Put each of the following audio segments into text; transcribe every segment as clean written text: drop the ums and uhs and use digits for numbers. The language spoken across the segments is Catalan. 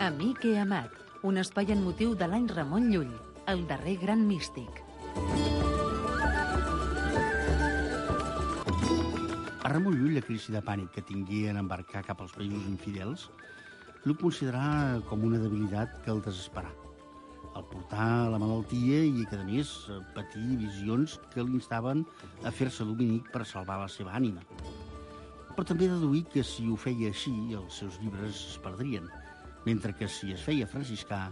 Amic he amat, un espai en motiu de l'any Ramon Llull, el darrer gran místic. A Ramon Llull, la crisi de pànic que tingué en embarcar cap als països infidels, l'ho considerà com una debilitat que el desesperà. El portar la malaltia i que, a més, patir visions que l'instaven a fer-se dominic per salvar la seva ànima. Però també deduir que si ho feia així, els seus llibres es perdrien, mentre que si es feia franciscà,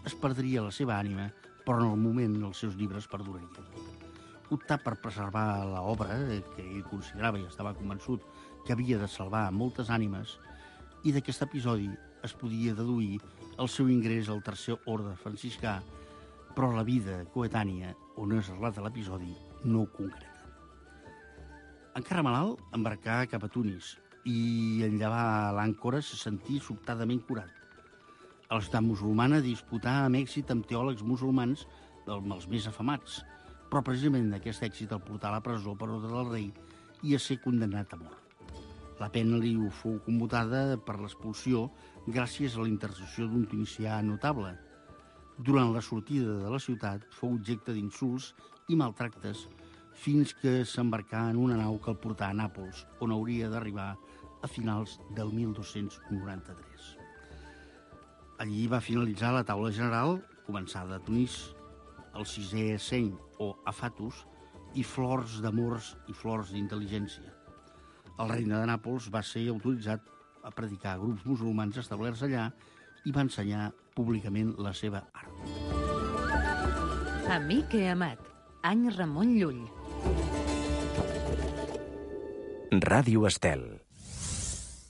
es perdria la seva ànima, però en el moment els seus llibres perdurarien. Optar per preservar l'obra, que ell considerava i estava convençut que havia de salvar moltes ànimes, i d'aquest episodi es podia deduir el seu ingrés al tercer orde franciscà, però la vida coetània on es relata l'episodi no ho concreta. Encara malalt, embarcà cap a Tunis i en llevar l'àncora se sentí sobtadament curat. A la ciutat musulmana disputà amb èxit amb teòlegs musulmans dels més afamats, però precisament aquest èxit el portà a la presó per ordre del rei i a ser condemnat a mort. La pena li fou commutada per l'expulsió gràcies a la intercessió d'un tunisià notable. Durant la sortida de la ciutat fou objecte d'insults i maltractes fins que s'embarcà en una nau que el portà a Nàpols, on hauria d'arribar a finals del 1293. Allí va finalitzar la taula general, començada a Tunis, el sisè seny o afatus, i flors d'amors i flors d'intel·ligència. El regne de Nàpols va ser autoritzat a predicar a grups musulmans establerts allà i va ensenyar públicament la seva art. Amic he amat, any Ramon Llull. Ràdio Estel.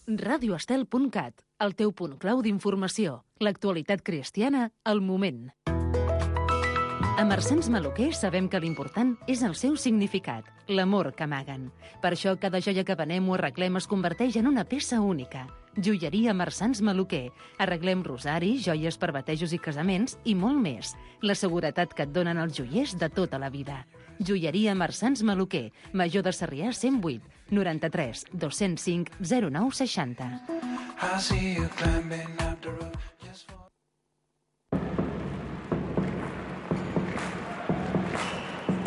radioestel.cat, el teu punt clau d'informació. L'actualitat cristiana, al moment. A Marsans Maluquer sabem que l'important és el seu significat, l'amor que amaguen. Per això cada joia que venem o arreglem es converteix en una peça única. Joieria Marsans Maluquer. Arreglem rosaris, joies per batejos i casaments i molt més. La seguretat que et donen els joiers de tota la vida. Joieria Marsans Maluquer. Major de Sarrià 108 93 205 09 60.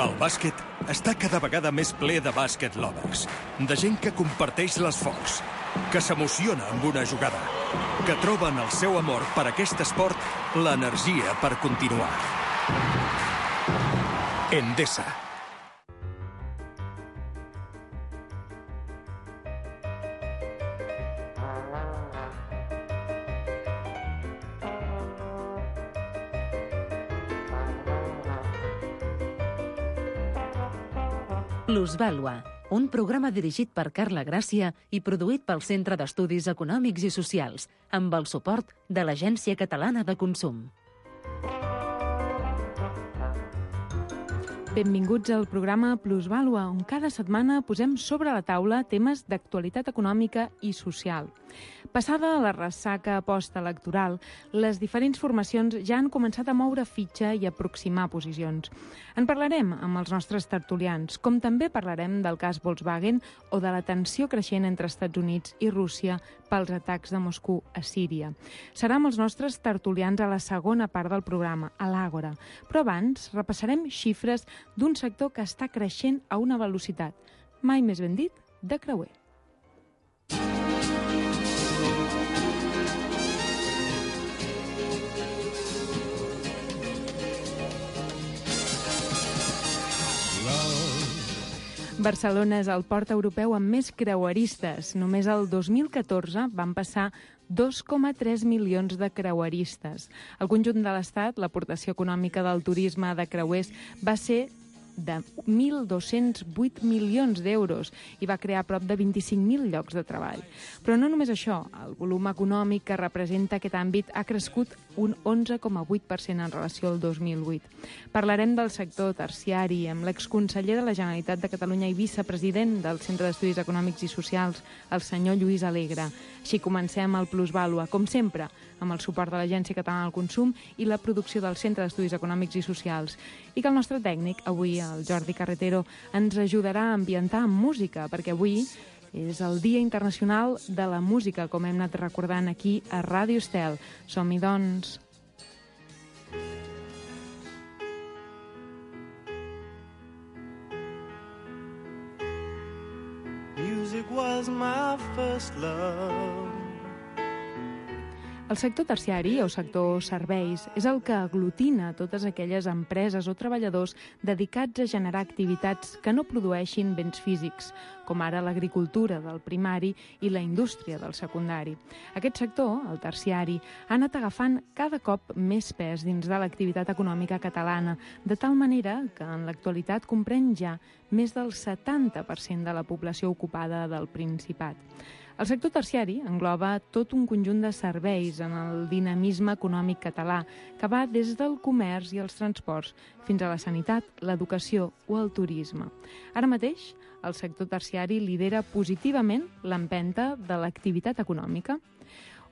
El bàsquet està cada vegada més ple de bàsquet lovers, de gent que comparteix l'esforç, que s'emociona amb una jugada, que troba en el seu amor per aquest esport l'energia per continuar. Endesa. Plusvàlua, un programa dirigit per Carla Gràcia i produït pel Centre d'Estudis Econòmics i Socials, amb el suport de l'Agència Catalana de Consum. Benvinguts al programa Plusvàlua, on cada setmana posem sobre la taula temes d'actualitat econòmica i social. Passada la ressaca postelectoral, les diferents formacions ja han començat a moure fitxa i aproximar posicions. En parlarem amb els nostres tertulians, com també parlarem del cas Volkswagen o de la tensió creixent entre Estats Units i Rússia pels atacs de Moscou a Síria. Serà amb els nostres tertulians a la segona part del programa, a l'Àgora. Però abans repassarem xifres d'un sector que està creixent a una velocitat, mai més ben dit, de creuer. Barcelona és el port europeu amb més creueristes. Només el 2014 van passar 2,3 milions de creueristes. Al conjunt de l'Estat, l'aportació econòmica del turisme de creuers va ser de 1.208 milions d'euros i va crear prop de 25.000 llocs de treball. Però no només això, el volum econòmic que representa aquest àmbit ha crescut un 11,8% en relació al 2008. Parlarem del sector terciari amb l'exconseller de la Generalitat de Catalunya i vicepresident del Centre d'Estudis Econòmics i Socials, el senyor Lluís Alegre. Així comencem el Plusvàlua, com sempre, amb el suport de l'Agència Catalana del Consum i la producció del Centre d'Estudis Econòmics i Socials. I que el nostre tècnic, avui el Jordi Carretero, ens ajudarà a ambientar amb música, perquè avui És el Dia Internacional de la Música, com hem anat recordant aquí a Ràdio Estel. Som-hi, doncs. Music was my first love. El sector terciari, o sector serveis, és el que aglutina totes aquelles empreses o treballadors dedicats a generar activitats que no produeixin béns físics, com ara l'agricultura del primari i la indústria del secundari. Aquest sector, el terciari, ha anat agafant cada cop més pes dins de l'activitat econòmica catalana, de tal manera que en l'actualitat comprèn ja més del 70% de la població ocupada del Principat. El sector terciari engloba tot un conjunt de serveis en el dinamisme econòmic català, que va des del comerç i els transports fins a la sanitat, l'educació o el turisme. Ara mateix, el sector terciari lidera positivament l'empenta de l'activitat econòmica.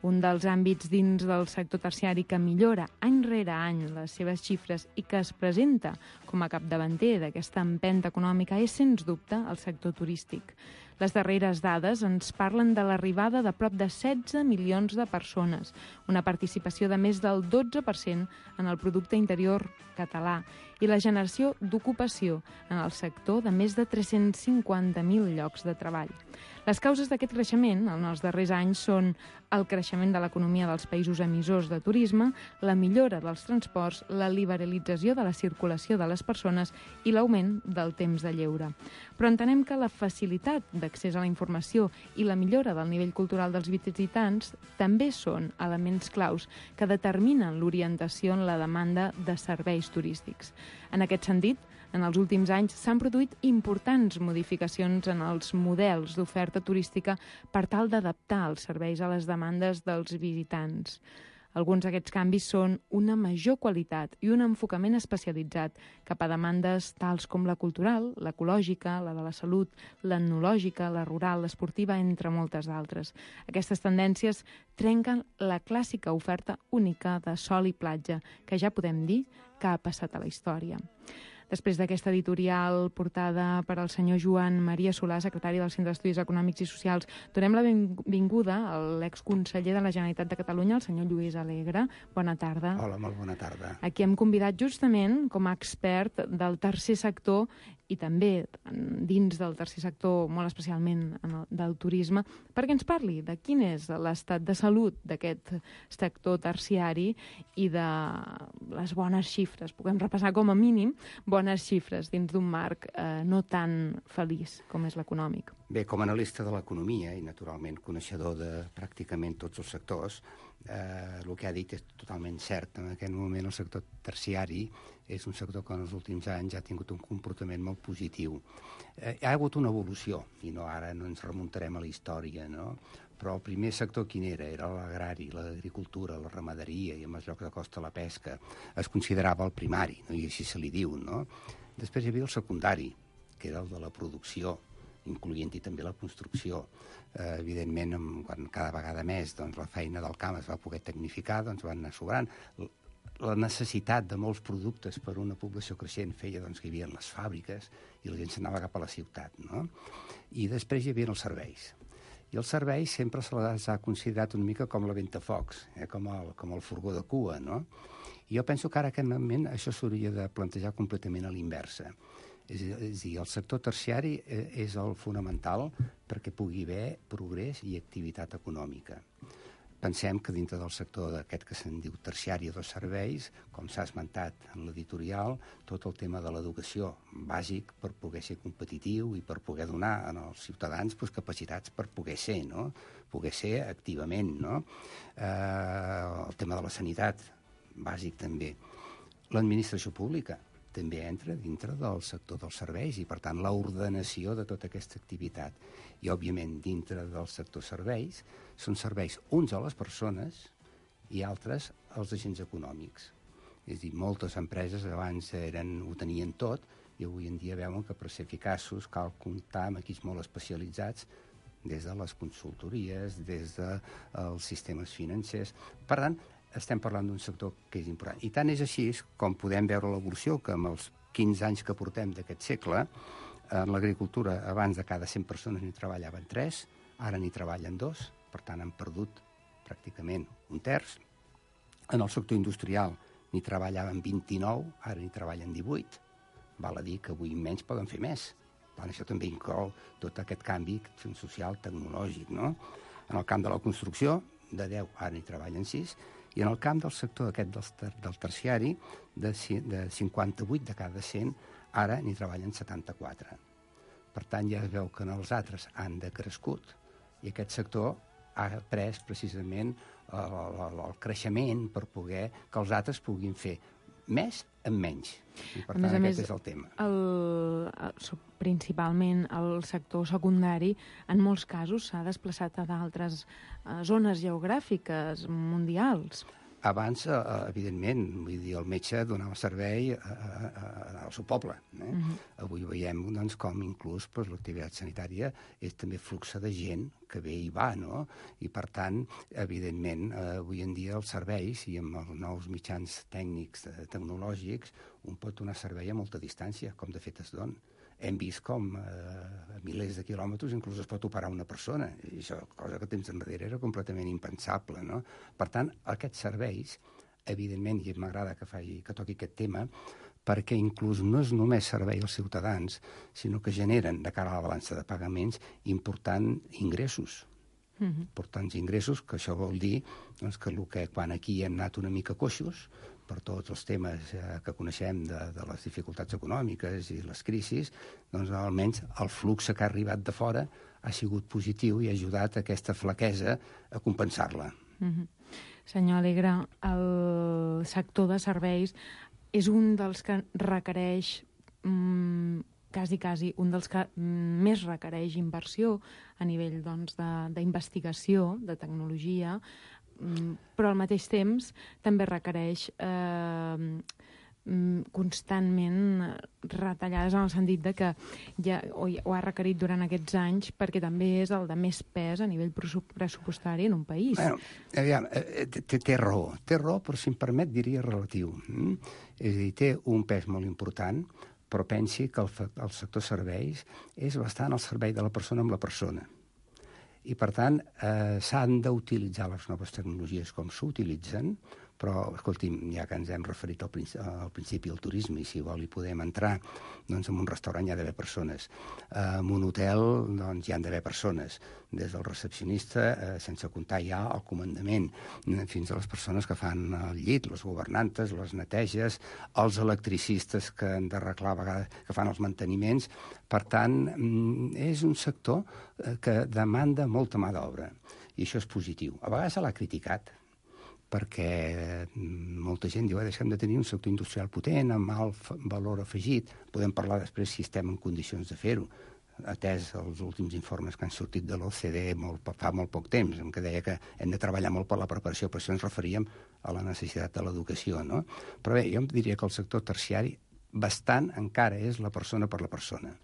Un dels àmbits dins del sector terciari que millora any rere any les seves xifres i que es presenta com a capdavanter d'aquesta empenta econòmica és, sens dubte, el sector turístic. Les darreres dades ens parlen de l'arribada de prop de 16 milions de persones, una participació de més del 12% en el producte interior català i la generació d'ocupació en el sector de més de 350.000 llocs de treball. Les causes d'aquest creixement en els darrers anys són el creixement de l'economia dels països emissors de turisme, la millora dels transports, la liberalització de la circulació de les persones i l'augment del temps de lleure. Però entenem que la facilitat d'accés a la informació i la millora del nivell cultural dels visitants també són elements claus que determinen l'orientació en la demanda de serveis turístics. En aquest sentit, en els últims anys s'han produït importants modificacions en els models d'oferta turística per tal d'adaptar els serveis a les demandes dels visitants. Alguns d'aquests canvis són una major qualitat i un enfocament especialitzat cap a demandes tals com la cultural, l'ecològica, la de la salut, l'etnològica, la rural, l'esportiva, entre moltes altres. Aquestes tendències trenquen la clàssica oferta única de sol i platja, que ja podem dir que ha passat a la història. Després d'aquesta editorial portada per al senyor Joan Maria Solà, secretari del Centre d'Estudis Econòmics i Socials, donem la benvinguda a l'exconseller de la Generalitat de Catalunya, el senyor Lluís Alegre. Bona tarda. Hola, molt bona tarda. Aquí hem convidat justament com a expert del tercer sector i també dins del tercer sector, molt especialment del turisme, perquè ens parli de quin és l'estat de salut d'aquest sector terciari i de les bones xifres. Puguem repassar com a mínim bones xifres dins d'un marc no tan feliç com és l'econòmic. Bé, com a analista de l'economia i, naturalment, coneixedor de pràcticament tots els sectors, el que ha dit és totalment cert. En aquest moment el sector terciari és un sector que en els últims anys ha tingut un comportament molt positiu. Hi ha hagut una evolució, i ara no ens remuntarem a la història, no? Però el primer sector quin era? Era l'agrari, l'agricultura, la ramaderia i, en els llocs de costa, la pesca. Es considerava el primari, no? I així se li diu, no? Després hi havia el secundari, que era el de la producció, incloent-hi també la construcció. Evidentment, quan cada vegada més la feina del camp es va poder tecnificar, van anar sobrant. La necessitat de molts productes per una població creixent feia que hi havia les fàbriques i la gent s'anava cap a la ciutat, no? I després hi havia els serveis. I els serveis sempre se les ha considerat una mica com la ventafocs, com el furgó de cua, no? I jo penso que ara, en aquest moment, això s'hauria de plantejar completament a l'inversa. És a dir, el sector terciari és el fonamental perquè pugui haver progrés i activitat econòmica. Pensem que dintre del sector d'aquest que se'n diu terciari de serveis, com s'ha esmentat en l'editorial, tot el tema de l'educació bàsic per poder ser competitiu i per poder donar als ciutadans capacitats per poder ser, no? Poder ser activament, no? El tema de la sanitat, bàsic també. L'administració pública també entra dintre del sector dels serveis i, per tant, l'ordenació de tota aquesta activitat. I, òbviament, dintre del sector serveis, són serveis uns a les persones i altres als agents econòmics. És a dir, moltes empreses abans ho tenien tot i avui en dia veuen que per ser eficaços cal comptar amb equips molt especialitzats des de les consultories, des dels sistemes financers. Per tant, estem parlant d'un sector que és important. I tant és així com podem veure l'evolució que amb els 15 anys que portem d'aquest segle En l'agricultura, abans de cada 100 persones n'hi treballaven 3, ara n'hi treballen 2, per tant han perdut pràcticament un terç. En el sector industrial n'hi treballaven 29, ara n'hi treballen 18. Val a dir que avui menys poden fer més. Això també inclou tot aquest canvi social, tecnològic, no? En el camp de la construcció, de 10, ara n'hi treballen 6, i en el camp del sector aquest del terciari, de 58 de cada 100, ara n'hi treballen 74. Per tant, ja es veu que els altres han decrescut i aquest sector ha pres precisament el creixement per poder que els altres puguin fer més amb menys. I per tant, aquest és el tema. Principalment el sector secundari, en molts casos, s'ha desplaçat a d'altres zones geogràfiques mundials. Abans, evidentment, vull dir, el metge donava servei al seu poble. Avui veiem doncs, com inclús l'activitat sanitària és també flux de gent que ve i va, no? I, per tant, evidentment, avui en dia els serveis, i amb els nous mitjans tècnics tecnològics, un pot donar servei a molta distància, com de fet es dona. Hem vist com a milers de quilòmetres inclús es pot operar una persona. I això, cosa que temps enrere era completament impensable, no? Per tant, aquests serveis, evidentment, i m'agrada que toqui aquest tema, perquè inclús no és només servei als ciutadans, sinó que generen, de cara a la balança de pagaments, importants ingressos. Importants ingressos, que això vol dir doncs, que quan aquí hem anat una mica coixos, per tots els temes que coneixem de les dificultats econòmiques i les crisis, doncs almenys el flux que ha arribat de fora ha sigut positiu i ha ajudat aquesta flaquesa a compensar-la. Senyor Alegre, el sector de serveis és un dels que requereix, quasi un dels que més requereix inversió a nivell d'investigació, de tecnologia, però al mateix temps també requereix constantment retallades en el sentit de que ja ho ha requerit durant aquests anys perquè també és el de més pes a nivell pressupostari en un país. Bueno, aviam, té raó, però si em permet diria relatiu. És a dir, té un pes molt important, però pensi que el sector serveis és bastant al servei de la persona amb la persona. I, per tant, s'han d'utilitzar les noves tecnologies com s'utilitzen, però, escolti'm, ja que ens hem referit al principi al turisme, i si vol hi podem entrar, doncs en un restaurant hi ha d'haver persones. En un hotel doncs hi han d'haver persones, des del recepcionista, sense comptar ja el comandament, fins a les persones que fan el llit, les governantes, les neteges, els electricistes que han d'arreglar a vegades, que fan els manteniments. Per tant, és un sector que demanda molta mà d'obra, i això és positiu. A vegades se l'ha criticat, perquè molta gent diu deixem de tenir un sector industrial potent, amb alt valor afegit. Podem parlar després si estem en condicions de fer-ho, atès els últims informes que han sortit de l'OCDE fa molt poc temps, en què deia que hem de treballar molt per la preparació, per això ens referíem a la necessitat de l'educació, no? Però bé, jo em diria que el sector terciari bastant encara és la persona per la persona.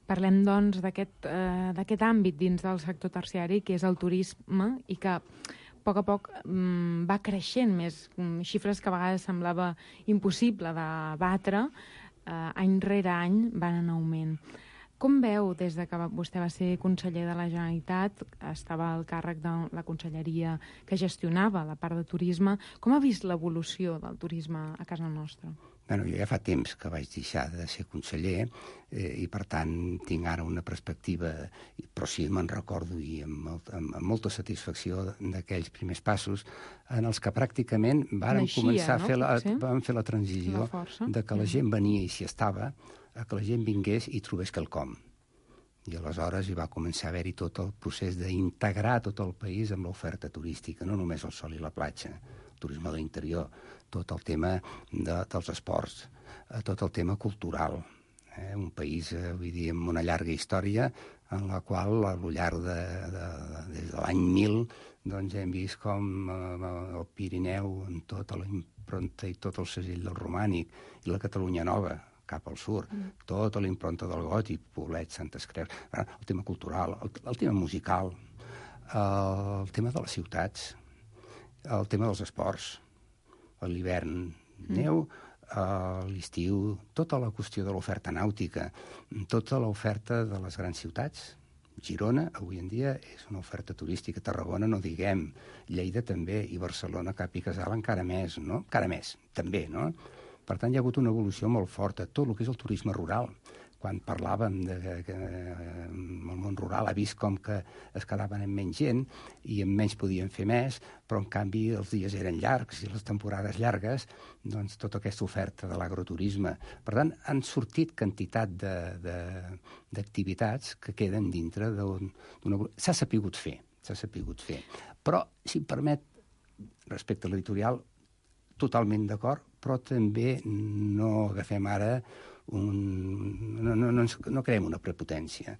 Parlem, doncs, d'aquest àmbit dins del sector terciari, que és el turisme, i que a poc va creixent més, xifres que a vegades semblava impossible de batre, any rere any van en augment. Com veu, des de que vostè va ser conseller de la Generalitat, estava al càrrec de la conselleria que gestionava la part de turisme, com ha vist l'evolució del turisme a casa nostra? Bueno, jo ja fa temps que vaig deixar de ser conseller i, per tant, tinc ara una perspectiva, però sí me'n recordo i amb molta satisfacció d'aquells primers passos en els que pràcticament vàrem començar a fer la transició de que la gent venia i s'hi estava, a que la gent vingués i trobés quelcom. I aleshores hi va començar a haver-hi tot el procés d'integrar tot el país amb l'oferta turística, no només el sol i la platja, el turisme de l'interior, tot el tema dels esports, tot el tema cultural. Un país, vull dir, amb una llarga història en la qual, al llarg des de l'any 1000, doncs hem vist com el Pirineu, amb tota la impronta i tot el segell del romànic, i la Catalunya Nova, cap al sud, tota la impronta del gòtic, Poblet, Santes Creus, el tema cultural, el tema musical, el tema de les ciutats, el tema dels esports, a l'hivern neu, a l'estiu, tota la qüestió de l'oferta nàutica, tota l'oferta de les grans ciutats. Girona, avui en dia, és una oferta turística. Tarragona, no diguem. Lleida també, i Barcelona, Cap i Casal, encara més, no? Encara més, també, no? Per tant, hi ha hagut una evolució molt forta. Tot el que és el turisme rural. Quan parlàvem que el món rural ha vist com que es quedaven amb menys gent i amb menys podien fer més, però en canvi els dies eren llargs i les temporades llargues, doncs tota aquesta oferta de l'agroturisme. Per tant, han sortit quantitat d'activitats que queden dintre d'una... S'ha sapigut fer. Però, si em permet, respecte a l'editorial, totalment d'acord, però també no agafem ara no creem una prepotència.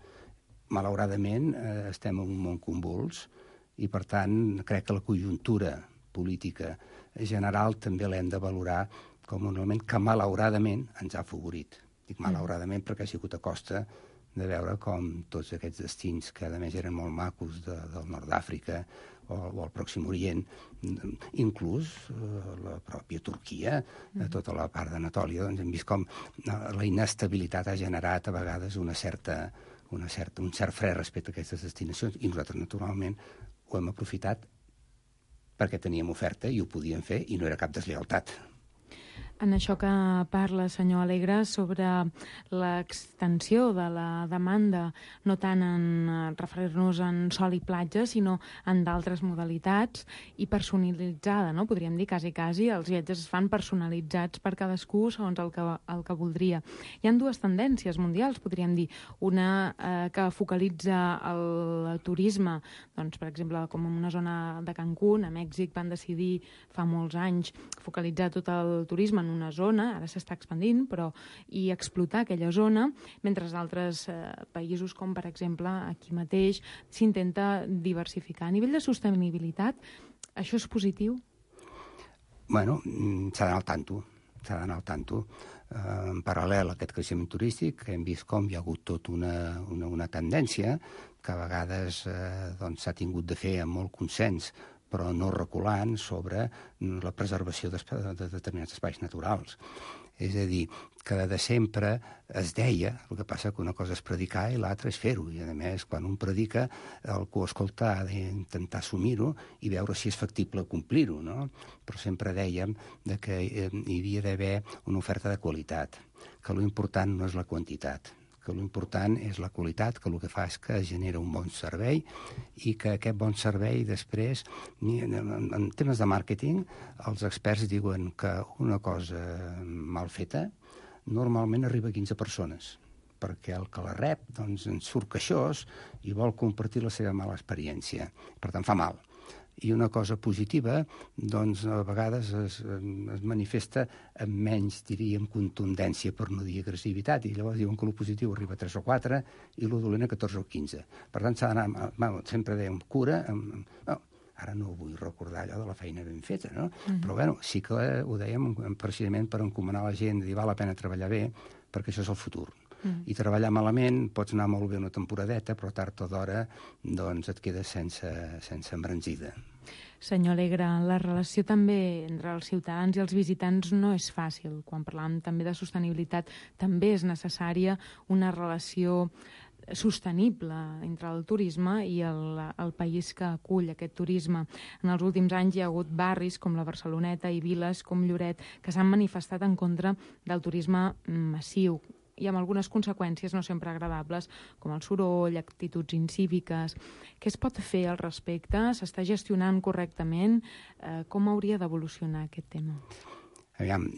Malauradament, estem en un món convuls i, per tant, crec que la conjuntura política general també l'hem de valorar com un element que, malauradament, ens ha afavorit. Dic malauradament perquè ha sigut a costa de veure com tots aquests destins, que a més eren molt macos del nord d'Àfrica o al Pròxim Orient, inclús la pròpia Turquia, tota la part d'Anatòlia, doncs hem vist com la inestabilitat ha generat a vegades un cert fre respecte a aquestes destinacions, i nosaltres, naturalment, ho hem aprofitat perquè teníem oferta i ho podíem fer i no era cap deslleialtat. En això que parla, senyor Alegre, sobre l'extensió de la demanda, no tant en referir-nos en sol i platja, sinó en d'altres modalitats, i personalitzada, no? Podríem dir, quasi, els viatges es fan personalitzats per cadascú segons el que voldria. Hi ha dues tendències mundials, podríem dir. Una que focalitza el turisme, doncs, per exemple, com en una zona de Cancún, a Mèxic, van decidir fa molts anys focalitzar tot el turisme en una zona, ara s'està expandint, i explotar aquella zona, mentre altres països, com per exemple aquí mateix, s'intenta diversificar. A nivell de sostenibilitat, això és positiu? Bueno, s'ha d'anar al tanto. En paral·lel a aquest creixement turístic, hem vist com hi ha hagut tota una tendència que a vegades s'ha tingut de fer amb molt consens, però no reculant sobre la preservació de determinats espais naturals. És a dir, que de sempre es deia, el que passa que una cosa és predicar i l'altra és fer-ho, i a més, quan un predica, el que ho escolta ha d'intentar assumir-ho i veure si és factible complir-ho, no? Però sempre dèiem que hi havia d'haver una oferta de qualitat, que l'important no és la quantitat, que l'important és la qualitat, que el que fa és que genera un bon servei i que aquest bon servei després, en temes de màrqueting, els experts diuen que una cosa mal feta normalment arriba a 15 persones, perquè el que la rep doncs, en surt queixós i vol compartir la seva mala experiència. Per tant, fa mal. I una cosa positiva, doncs, a vegades es manifesta amb menys, diríem, contundència, per no dir agressivitat, i llavors diuen que el positiu arriba a 3 o 4 i el dolent a 14 o 15. Per tant, s'ha d'anar, sempre dèiem, cura, ara no vull recordar allò de la feina ben feta, no? Però, bueno, sí que ho dèiem precisament per encomanar la gent, dir, val la pena treballar bé, perquè això és el futur. I treballar malament, pots anar molt bé una temporadeta, però tard o d'hora doncs et quedes sense embranzida. Senyor Alegre, la relació també entre els ciutadans i els visitants no és fàcil. Quan parlàvem també de sostenibilitat, també és necessària una relació sostenible entre el turisme i el país que acull aquest turisme. En els últims anys hi ha hagut barris com la Barceloneta i viles com Lloret que s'han manifestat en contra del turisme massiu, i amb algunes conseqüències no sempre agradables, com el soroll, actituds incíviques. Què es pot fer al respecte? S'està gestionant correctament? Com hauria d'evolucionar aquest tema? Aviam,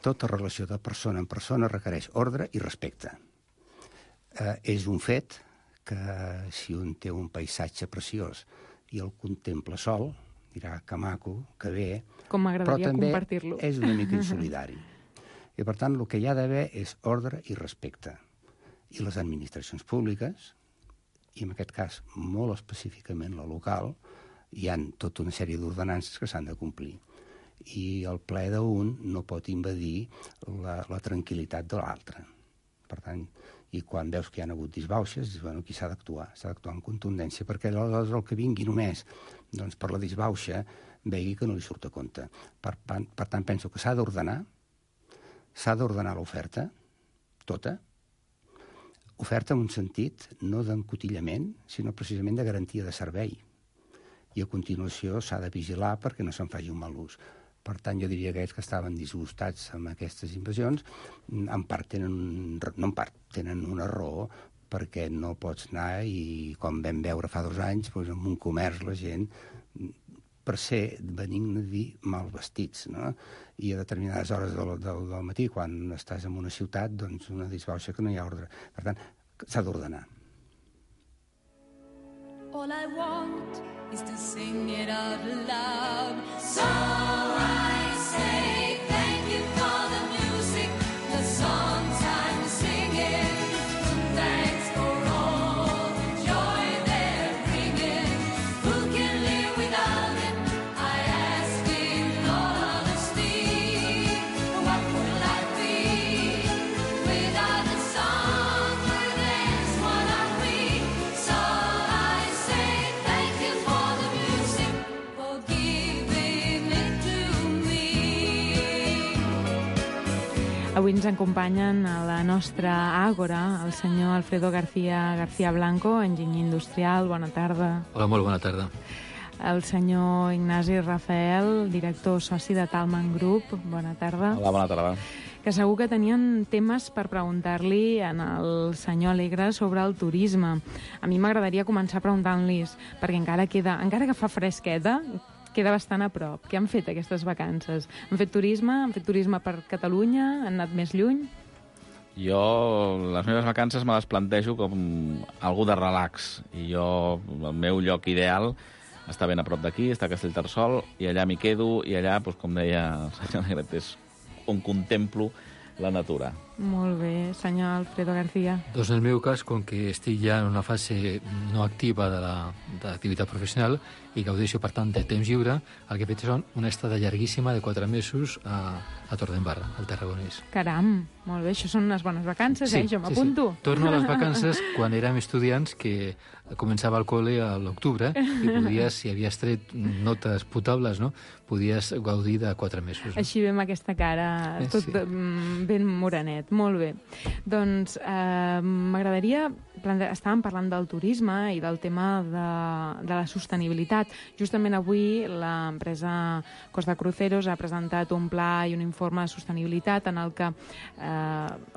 tota relació de persona en persona requereix ordre i respecte. És un fet que si un té un paisatge preciós i el contempla sol, dirà que maco, que bé, com m'agradaria compartir-lo. Però també és una mica insolidari. I, per tant, el que hi ha d'haver és ordre i respecte. I les administracions públiques, i en aquest cas molt específicament la local, hi ha tota una sèrie d'ordenances que s'han de complir. I el ple d'un no pot invadir la tranquil·litat de l'altre. Per tant, i quan veus que hi ha hagut disbauxes, dius, bueno, aquí s'ha d'actuar amb contundència, perquè aleshores el que vingui només doncs, per la disbauxa vegi que no li surt a compte. Per tant, penso que s'ha d'ordenar, s'ha d'ordenar l'oferta, tota, oferta en un sentit no d'encotillament, sinó precisament de garantia de servei. I a continuació s'ha de vigilar perquè no se'n faci un mal ús. Per tant, jo diria que aquells que estaven disgustats amb aquestes invasions, en part tenen una raó, perquè no pots anar i, com vam veure fa 2 anys, doncs, en un comerç la gent, per ser benigne dir mal vestits, no? I a determinades hores del matí, quan estàs en una ciutat, doncs una disbauxa que no hi ha ordre. Per tant, s'ha d'ordenar. All I want is to sing it out loud. So I say thank you for the music, the songs I'm singing. Thanks for all the joy they're bringing. Who can live without it? I ask in all honesty. What would life be without the song? Where there's one are we. So I say thank you for the music, for giving it to me. Avui ens acompanyen a la nostra àgora el senyor Alfredo García Blanco, enginyer industrial. Bona tarda. Hola, molt bona tarda. El senyor Ignasi Rafael, director soci de Talman Group. Bona tarda. Hola, bona tarda. Que segur que tenien temes per preguntar-li al senyor Alegre sobre el turisme. A mi m'agradaria començar preguntant-los, perquè encara que fa fresqueta, queda bastant a prop. Què han fet aquestes vacances? Han fet turisme per Catalunya? Han anat més lluny? Jo, les meves vacances me les plantejo com algú de relax. I jo, el meu lloc ideal està ben a prop d'aquí, està a Castellterçol, i allà m'hi quedo, i allà, doncs, com deia el senyor Negret, és on contemplo la natura. Molt bé, senyor Alfredo García. Doncs en el meu cas, com que estic ja en una fase no activa de l'activitat professional i gaudeixo, per tant, de temps lliure, el que he fet és una estada llarguíssima de 4 mesos a Torredembarra, al Tarragonès. Caram, molt bé, això són unes bones vacances, jo m'apunto. Sí. Torno a les vacances quan érem estudiants, que començava el col·le a l'octubre, i podies, si havies tret notes potables, no?, podies gaudir de 4 mesos. Així ve amb aquesta cara, tot ben morenet. Molt bé. Doncs m'agradaria... Estàvem parlant del turisme i del tema de la sostenibilitat. Justament avui l'empresa Costa Cruceros ha presentat un pla i un informe de sostenibilitat en el que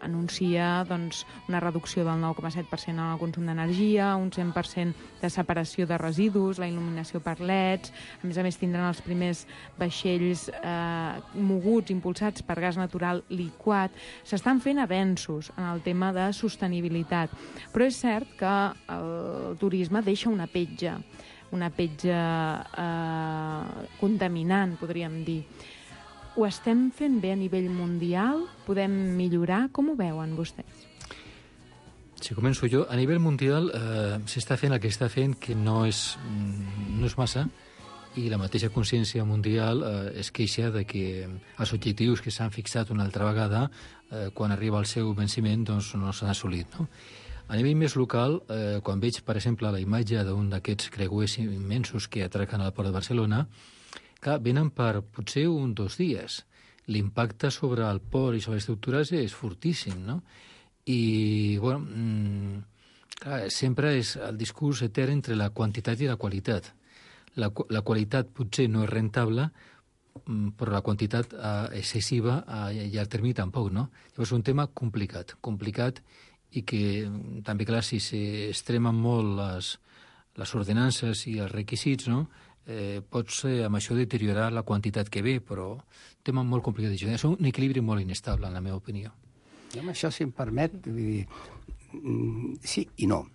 anuncia una reducció del 9,7% en el consum d'energia, un 100% de separació de residus, la il·luminació per LEDs. A més, tindran els primers vaixells moguts, impulsats per gas natural liquat. S'estan fent avenços en el tema de sostenibilitat, però és cert que el turisme deixa una petja contaminant, podríem dir. Ho estem fent bé a nivell mundial? Podem millorar? Com ho veuen vostès? Si començo jo, a nivell mundial s'està fent el que està fent, que no és massa, i la mateixa consciència mundial es queixa de que els objectius que s'han fixat una altra vegada, quan arriba el seu venciment, doncs no s'han assolit, no? A nivell més local, quan veig, per exemple, la imatge d'un d'aquests creuers immensos que atraquen al port de Barcelona, clar, venen per potser 1 o 2 dies. L'impacte sobre el port i sobre les estructures és fortíssim, no? I, bueno, clar, sempre és el discurs etern entre la quantitat i la qualitat. La qualitat potser no és rentable, però la quantitat excessiva a llarg termini tampoc, no? Llavors és un tema complicat, i que també, clar, si s'extremen molt les ordenances i els requisits, no?, pots amb això deteriorar la quantitat que ve, però un tema molt complicat. És un equilibri molt inestable, en la meva opinió. I amb això, si em permet, vull dir, sí i no.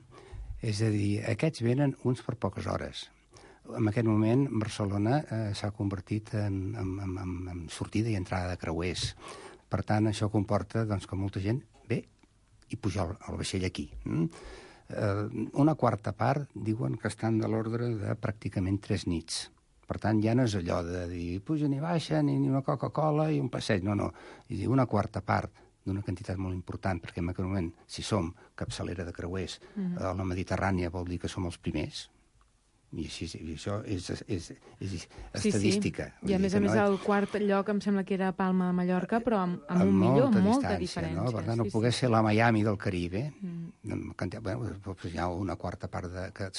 És a dir, aquests venen uns per poques hores. En aquest moment, Barcelona s'ha convertit en sortida i entrada de creuers. Per tant, això comporta que molta gent ve i pujar al vaixell aquí. Una quarta part diuen que estan de l'ordre de pràcticament 3 nits. Per tant, ja no és allò de dir pugen i baixen i una Coca-Cola i un passeig. No. És dir, una quarta part d'una quantitat molt important, perquè en aquest moment, si som capçalera de creuers a la Mediterrània, vol dir que som els primers. I això és estadística. I a més el quart lloc em sembla que era Palma de Mallorca, però amb un millor, amb molta diferència. No? Per tant, no pogués ser la Miami del Caribe. Hi ha una quarta part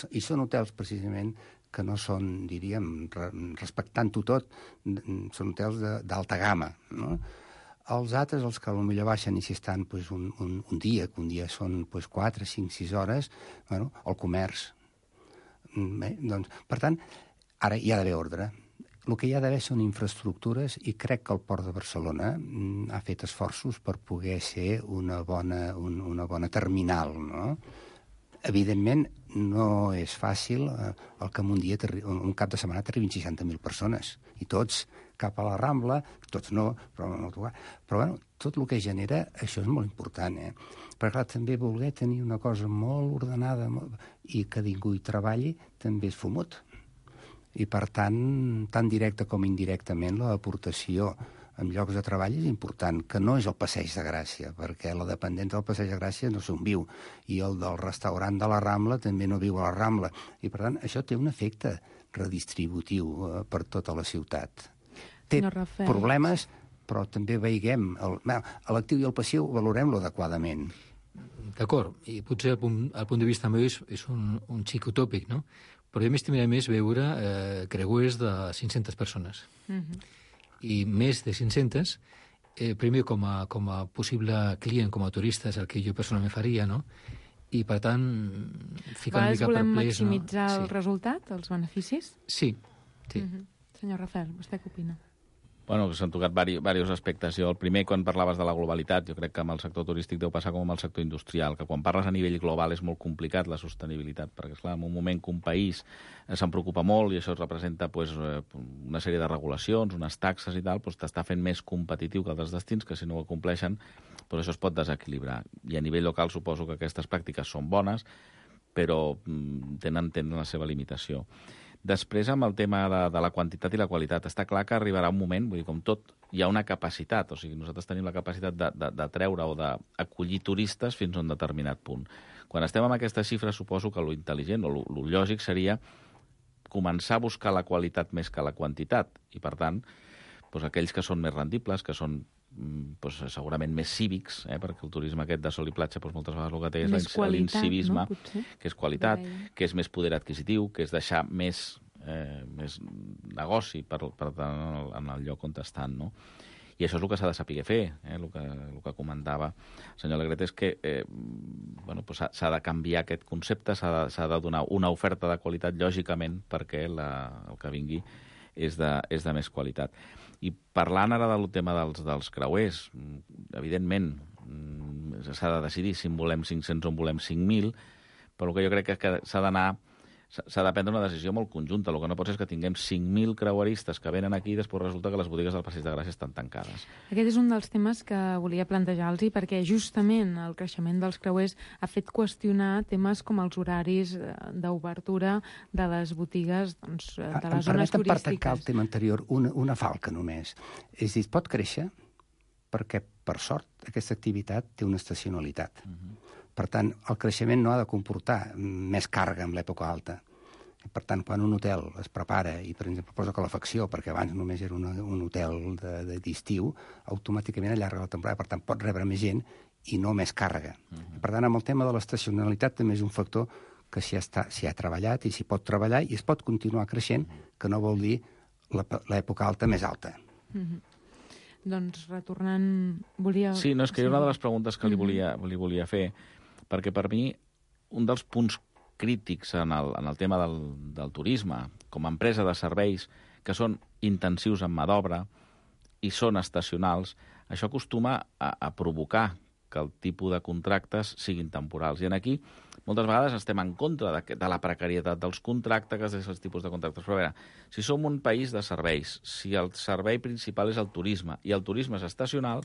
I són hotels, precisament, que no són, diríem, respectant-ho tot, són hotels d'alta gamma, no? Els altres, els que potser baixen i si estan un dia, que un dia són 4, 5, 6 hores, el comerç. Bé, doncs, per tant, ara hi ha d'haver ordre. El que hi ha d'haver són infraestructures i crec que el Port de Barcelona ha fet esforços per poder ser una bona terminal, no? Evidentment, no és fàcil el que en un cap de setmana t'arribin 60.000 persones, i tots cap a la Rambla, tots no, però bueno, tot el que genera, això és molt important, Perquè, clar, també voler tenir una cosa molt ordenada i que ningú hi treballi també és fumut. I, per tant, tan directa com indirectament, l'aportació en llocs de treball és important, que no és el Passeig de Gràcia, perquè la dependent del Passeig de Gràcia no sé on viu, i el del restaurant de la Rambla també no viu a la Rambla. I, per tant, això té un efecte redistributiu per tota la ciutat. Té problemes, però també veiguem l'actiu i el passiu, valorem-lo adequadament. D'acord, i potser el punt de vista meu és un xic utòpic, no? Però jo m'estimaria més veure creuers de 500 persones. I més de 500, primer com a possible client, com a turista, és el que jo personalment faria, no? I, per tant, ficar una mica per volem maximitzar el resultat, els beneficis? Sí. Senyor Rafael, vostè què opina? Bueno, s'han tocat diversos aspectes. Jo, el primer, quan parlaves de la globalitat, jo crec que amb el sector turístic deu passar com amb el sector industrial, que quan parles a nivell global és molt complicat la sostenibilitat, perquè, esclar, en un moment que un país se'n preocupa molt i això representa una sèrie de regulacions, unes taxes i tal, t'està fent més competitiu que altres destins, que si no ho acompleixen, això es pot desequilibrar. I a nivell local suposo que aquestes pràctiques són bones, però tenen la seva limitació. Després, amb el tema de la quantitat i la qualitat, està clar que arribarà un moment, vull dir, com tot, hi ha una capacitat, o sigui, nosaltres tenim la capacitat de treure o d'acollir turistes fins a un determinat punt. Quan estem amb aquesta xifra, suposo que lo intel·ligent o lo lògic seria començar a buscar la qualitat més que la quantitat, i, per tant, aquells que són més rendibles, que són segurament més cívics, perquè el turisme aquest de sol i platja moltes vegades el que té és l'incivisme, que és qualitat, que és més poder adquisitiu, que és deixar més negoci per tant en el lloc on estan, no? I això és el que s'ha de saber fer, el que comentava el senyor Alegret és que s'ha de canviar aquest concepte, s'ha de donar una oferta de qualitat, lògicament, perquè el que vingui és de més qualitat. I parlant ara del tema dels creuers, evidentment s'ha de decidir si en volem 500 o en volem 5.000, però el que jo crec que s'ha de prendre una decisió molt conjunta. El que no pot ser és que tinguem 5.000 creueristes que venen aquí i després resulta que les botigues del Passeig de Gràcia estan tancades. Aquest és un dels temes que volia plantejar-los, perquè justament el creixement dels creuers ha fet qüestionar temes com els horaris d'obertura de les botigues de les zones turístiques. Per tancar el tema anterior, una falca només. És a dir, pot créixer perquè, per sort, aquesta activitat té una estacionalitat. Per tant, el creixement no ha de comportar més càrrega en l'època alta. Per tant, quan un hotel es prepara i, per exemple, posa calefacció, perquè abans només era un hotel d'estiu, automàticament allarga la temporada. Per tant, pot rebre més gent i no més càrrega. Per tant, amb el tema de l'estacionalitat també és un factor que s'hi ha treballat i s'hi pot treballar i es pot continuar creixent, que no vol dir l'època alta més alta. Doncs, retornant... Sí, no, és que era una de les preguntes que li volia fer, perquè per mi un dels punts crítics en el tema del turisme, com a empresa de serveis que són intensius en mà d'obra i són estacionals, això acostuma a provocar que el tipus de contractes siguin temporals. I aquí moltes vegades estem en contra de la precarietat dels contractes, d'aquests tipus de contractes. Però a veure, si som un país de serveis, si el servei principal és el turisme i el turisme és estacional,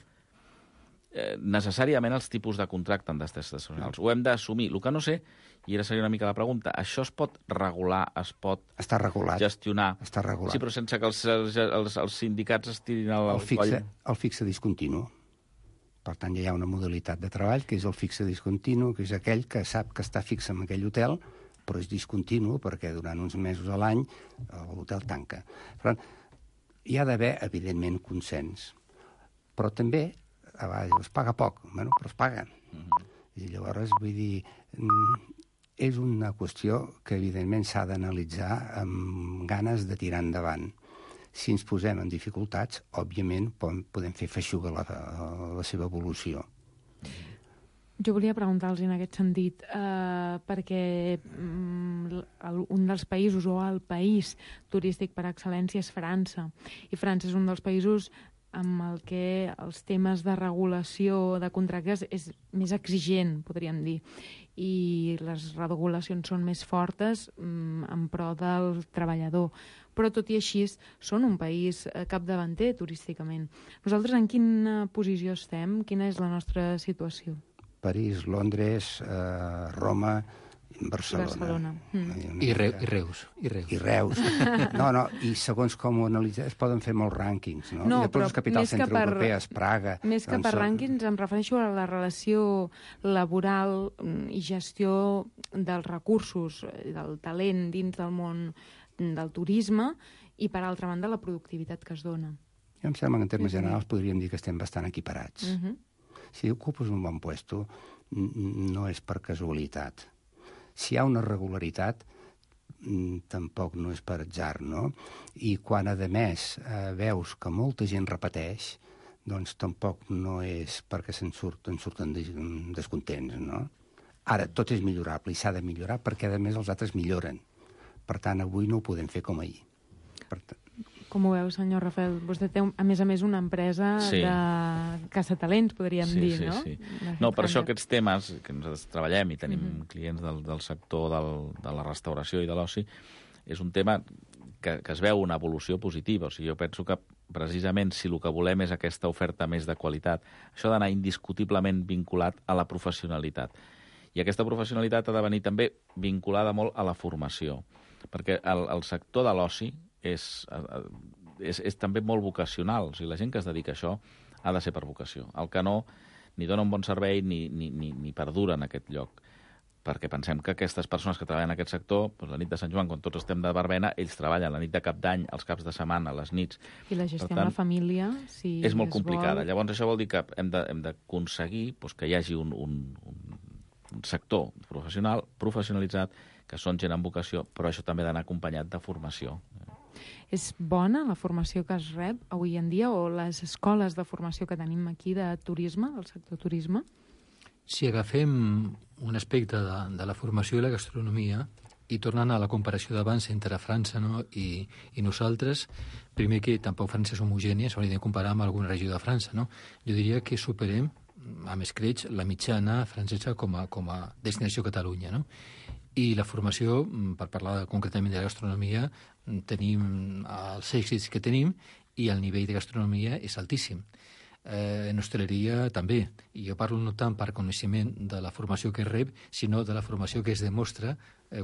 necessàriament els tipus de contracte han d'estar estacionals. Ho hem d'assumir. El que no sé, i ara seria una mica la pregunta, això es pot regular, es pot gestionar? Està regulat. Sí, però sense que els sindicats estirin el coll. El fixe discontinu. Per tant, ja hi ha una modalitat de treball, que és el fixe discontinu, que és aquell que sap que està fix en aquell hotel però és discontinu perquè durant uns mesos a l'any l'hotel tanca. Per tant, hi ha d'haver, evidentment, consens. Però també, a vegades, es paga poc, bueno, però es paga. I llavors, vull dir, és una qüestió que, evidentment, s'ha d'analitzar amb ganes de tirar endavant. Si ens posem en dificultats, òbviament, podem fer feixuga la seva evolució. Jo volia preguntar-los en aquest sentit, perquè un dels països, o el país turístic per excel·lència, és França. I França és un dels països amb el que els temes de regulació de contractes és més exigent, podríem dir. I les regulacions són més fortes en pro del treballador. Però tot i així són un país capdavanter turísticament. Nosaltres en quina posició estem? Quina és la nostra situació? París, Londres, Roma, Barcelona. I Reus. I Reus. No, i segons com ho analitzes, es poden fer molts rànquings, no? No, I després les capitals centreeuropees, Praga... Més que per rànquings em refereixo a la relació laboral i gestió dels recursos, del talent dins del món del turisme i, per altra banda, la productivitat que es dona. Jo em sembla que en termes generals podríem dir que estem bastant equiparats. Si ocupes un bon puesto, no és per casualitat. Si hi ha una regularitat, tampoc no és per atzar, no? I quan, a més, veus que molta gent repeteix, doncs tampoc no és perquè se'n surten descontents, no? Ara, tot és millorable i s'ha de millorar perquè, a més, els altres milloren. Per tant, avui no ho podem fer com ahir. Com ho veu, senyor Rafael? Vostè té, a més, una empresa de caçatalents, podríem dir, no? Sí. No, per això aquests temes que nosaltres treballem i tenim clients del sector de la restauració i de l'oci, és un tema que es veu una evolució positiva. O sigui, jo penso que precisament si el que volem és aquesta oferta més de qualitat, això ha d'anar indiscutiblement vinculat a la professionalitat. I aquesta professionalitat ha de venir també vinculada molt a la formació, perquè el sector de l'oci és també molt vocacional. O sigui, la gent que es dedica a això ha de ser per vocació. El que no, ni dona un bon servei ni perdura en aquest lloc. Perquè pensem que aquestes persones que treballen en aquest sector, doncs la nit de Sant Joan, quan tots estem de verbena, ells treballen la nit de Cap d'Any, els caps de setmana, les nits. I la gestió amb la família, si és molt complicada. Llavors això vol dir que hem d'aconseguir que hi hagi un sector professionalitzat, que són gent amb vocació, però això també ha d'anar acompanyat de formació. És bona la formació que es rep avui en dia, o les escoles de formació que tenim aquí de turisme, del sector turisme? Si agafem un aspecte de la formació i la gastronomia, i tornant a la comparació d'abans entre França, no, i nosaltres, primer que tampoc França és homogènia, s'hauria de comparar amb alguna regió de França, no? Jo diria que superem, amb escreix, la mitjana francesa com a destinació Catalunya, no? I la formació, per parlar concretament de la gastronomia, tenim els èxits que tenim i el nivell de gastronomia és altíssim. En hostaleria també. I jo parlo no tant per coneixement de la formació que rep, sinó de la formació que es demostra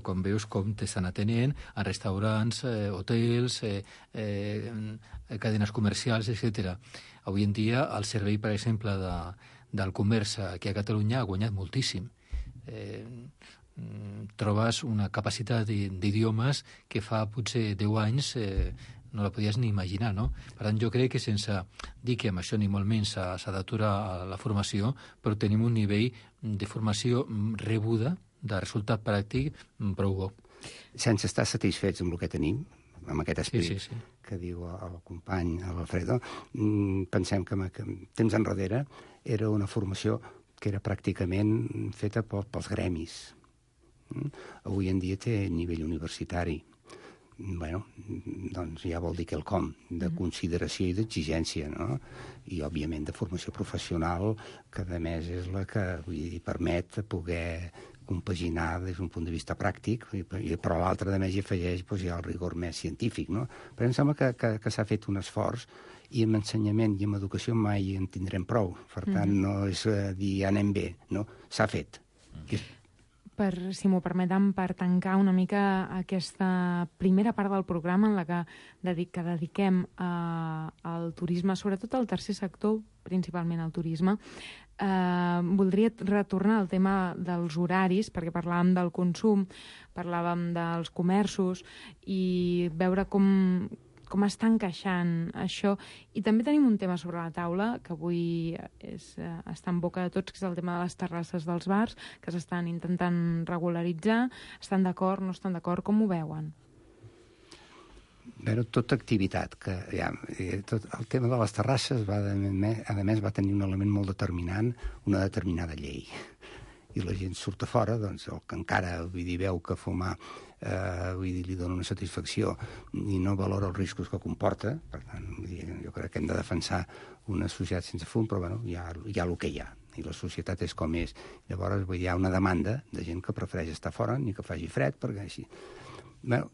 quan veus com t'estan atenent a restaurants, hotels, cadenes comercials, etc. Avui en dia el servei, per exemple, del comerç aquí a Catalunya ha guanyat moltíssim. Trobes una capacitat d'idiomes que fa potser 10 anys no la podies ni imaginar, no? Per tant, jo crec que sense dir que amb això ni molt menys s'ha d'aturar la formació, però tenim un nivell de formació rebuda, de resultat pràctic, prou bo. Sense estar satisfets amb el que tenim, amb aquest esperit que diu el company l'Alfredo, pensem que temps enrere era una formació que era pràcticament feta pels gremis. Avui en dia té nivell universitari. Bueno, doncs ja vol dir quelcom de consideració i d'exigència, no? I, òbviament, de formació professional, que, a més, és la que permet poder compaginar des d'un punt de vista pràctic, però l'altre, a més, hi afegeix ja el rigor més científic, no? Però em sembla que s'ha fet un esforç i amb ensenyament i amb educació mai en tindrem prou. Per tant, no és dir anem bé, no? S'ha fet. Si m'ho permeten, per tancar una mica aquesta primera part del programa en la que dediquem al turisme, sobretot al tercer sector, principalment al turisme, Voldria retornar al tema dels horaris, perquè parlàvem del consum, parlàvem dels comerços, i veure com està encaixant això. I també tenim un tema sobre la taula, que avui està en boca de tots, que és el tema de les terrasses dels bars, que s'estan intentant regularitzar. Estan d'acord, no estan d'acord? Com ho veuen? Però tota activitat, el tema de les terrasses a més va tenir un element molt determinant, una determinada llei. I la gent surt a fora, doncs el que encara veu que fumar li dona una satisfacció i no valora els riscos que comporta. Per tant, jo crec que hem de defensar una societat sense fum, però bueno, hi ha el que hi ha. I la societat és com és. Llavors hi ha una demanda de gent que prefereix estar fora ni que faci fred, perquè així...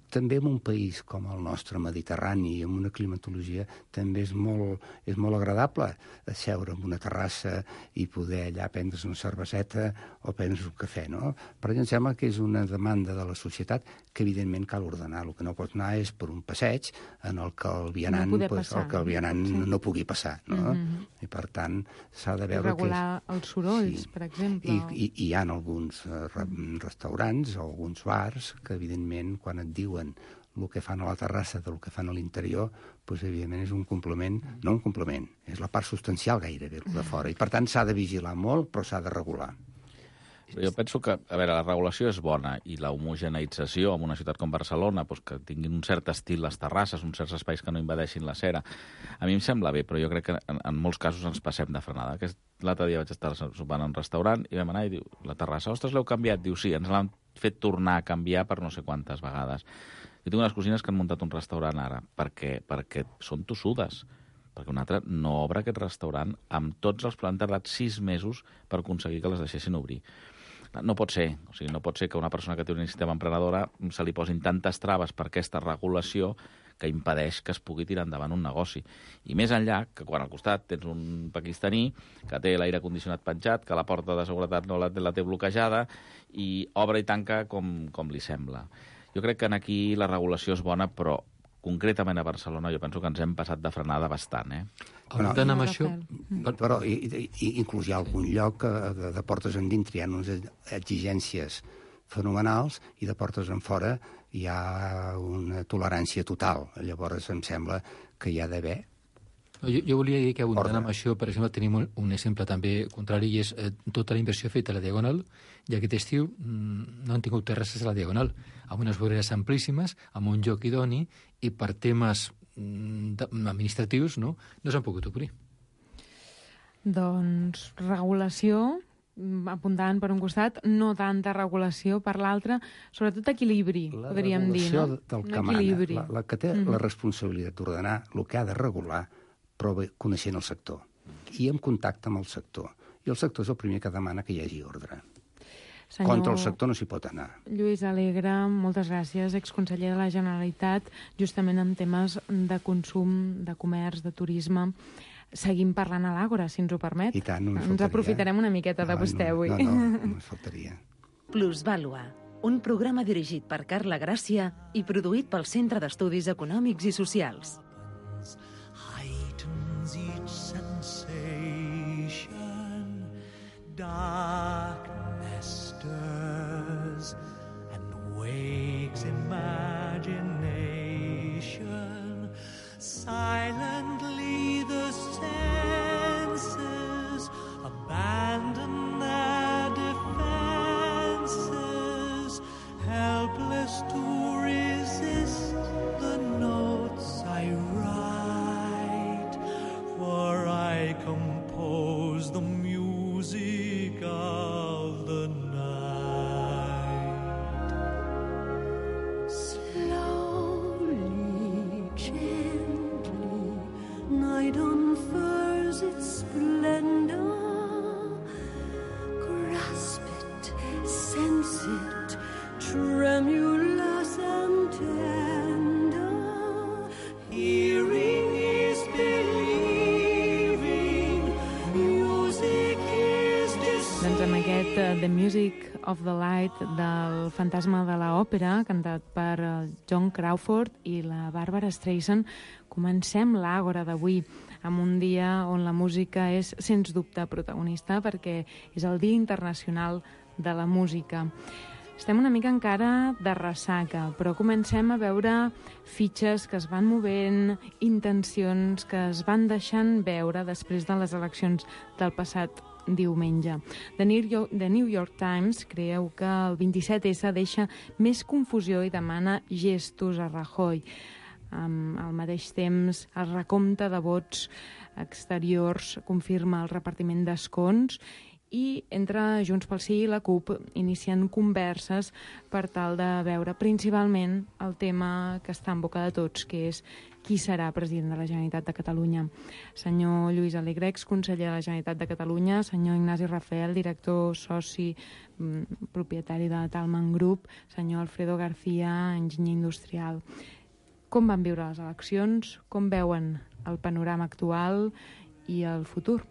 També en un país com el nostre, mediterrani, amb una climatologia, també és molt agradable seure en una terrassa i poder allà prendre's una cerveseta o prendre's un cafè, no? Però em sembla que és una demanda de la societat que evidentment cal ordenar. El que no pot anar és per un passeig en el que el vianant no pugui passar, no? I per tant s'ha de veure... Regular els sorolls, per exemple. I hi ha alguns restaurants o alguns bars que evidentment quan et diuen el que fan a la terrassa del que fan a l'interior, doncs evidentment és un complement, no un complement, és la part substancial gairebé, el de fora. I per tant s'ha de vigilar molt, però s'ha de regular. Jo penso que, a veure, la regulació és bona i la homogeneïtzació en una ciutat com Barcelona, doncs que tinguin un cert estil les terrasses, uns certs espais que no invadeixin la cera, a mi em sembla bé, però jo crec que en molts casos ens passem de frenada. L'altre dia vaig estar sopant en un restaurant i vam anar i diu, la terrassa, ostres, l'heu canviat? Diu, sí, ens l'han fet tornar a canviar per no sé quantes vegades. Jo tinc unes cosines que han muntat un restaurant ara perquè són tossudes, perquè un altre no obre aquest restaurant amb tots els plans. Han tardat 6 mesos per aconseguir que les deixessin obrir. No pot ser. O sigui, no pot ser que una persona que té una iniciativa emprenedora se li posin tantes traves per aquesta regulació que impedeix que es pugui tirar endavant un negoci. I més enllà, que quan al costat tens un pakistaní que té l'aire condicionat penjat, que la porta de seguretat no la té bloquejada i obre i tanca com li sembla. Jo crec que aquí la regulació és bona, però concretament a Barcelona jo penso que ens hem passat de frenada bastant, Apuntant amb això... Però inclús hi ha algun lloc que de portes endintre hi ha unes exigències fenomenals i de portes en fora hi ha una tolerància total. Llavors em sembla que hi ha d'haver... Jo volia dir que abundant amb això, per exemple, tenim un exemple també contrari, i és tota la inversió feta a la Diagonal, i aquest estiu no han tingut terrasses a la Diagonal, amb unes voreres amplíssimes, amb un lloc idoni, i per temes administratius no s'han pogut obrir. Doncs regulació, apuntant per un costat, no tanta regulació per l'altre, sobretot equilibri, podríem dir, no? La regulació del que mana, la que té la responsabilitat d'ordenar el que ha de regular, però coneixent el sector i en contacte amb el sector. I el sector és el primer que demana que hi hagi ordre. Contra el sector no s'hi pot anar. Lluís Alegre, moltes gràcies, exconseller de la Generalitat, justament en temes de consum, de comerç, de turisme. Seguim parlant a l'Àgora, si ens ho permet. I tant, no ens aprofitarem una miqueta de vostè avui. No, ens faltaria. Plusvàlua, un programa dirigit per Carla Gràcia i produït pel Centre d'Estudis Econòmics i Socials. Heightens each sensation, darkness stirs and wakes imagination. Silently the senses abandon their defenses, helpless to resist the notes I write, for I compose the music of The Music of the Light del Fantasma de l'Òpera, cantat per John Crawford i la Barbara Streisand, comencem l'Àgora d'avui, amb un dia on la música és, sens dubte, protagonista, perquè és el Dia Internacional de la Música. Estem una mica encara de ressaca, però comencem a veure fitxes que es van movent, intencions que es van deixant veure després de les eleccions del passat diumenge. The New York Times creu que el 27S deixa més confusió i demana gestos a Rajoy. Al mateix temps, el recompte de vots exteriors confirma el repartiment d'escons i entre Junts pel Sí i la CUP inicien converses per tal de veure principalment el tema que està en boca de tots, que és qui serà president de la Generalitat de Catalunya. Senyor Lluís Alegre, exconseller de la Generalitat de Catalunya, senyor Ignasi Rafael, director soci propietari de Talman Group, senyor Alfredo García, enginyer industrial. Com van viure les eleccions? Com veuen el panorama actual i el futur?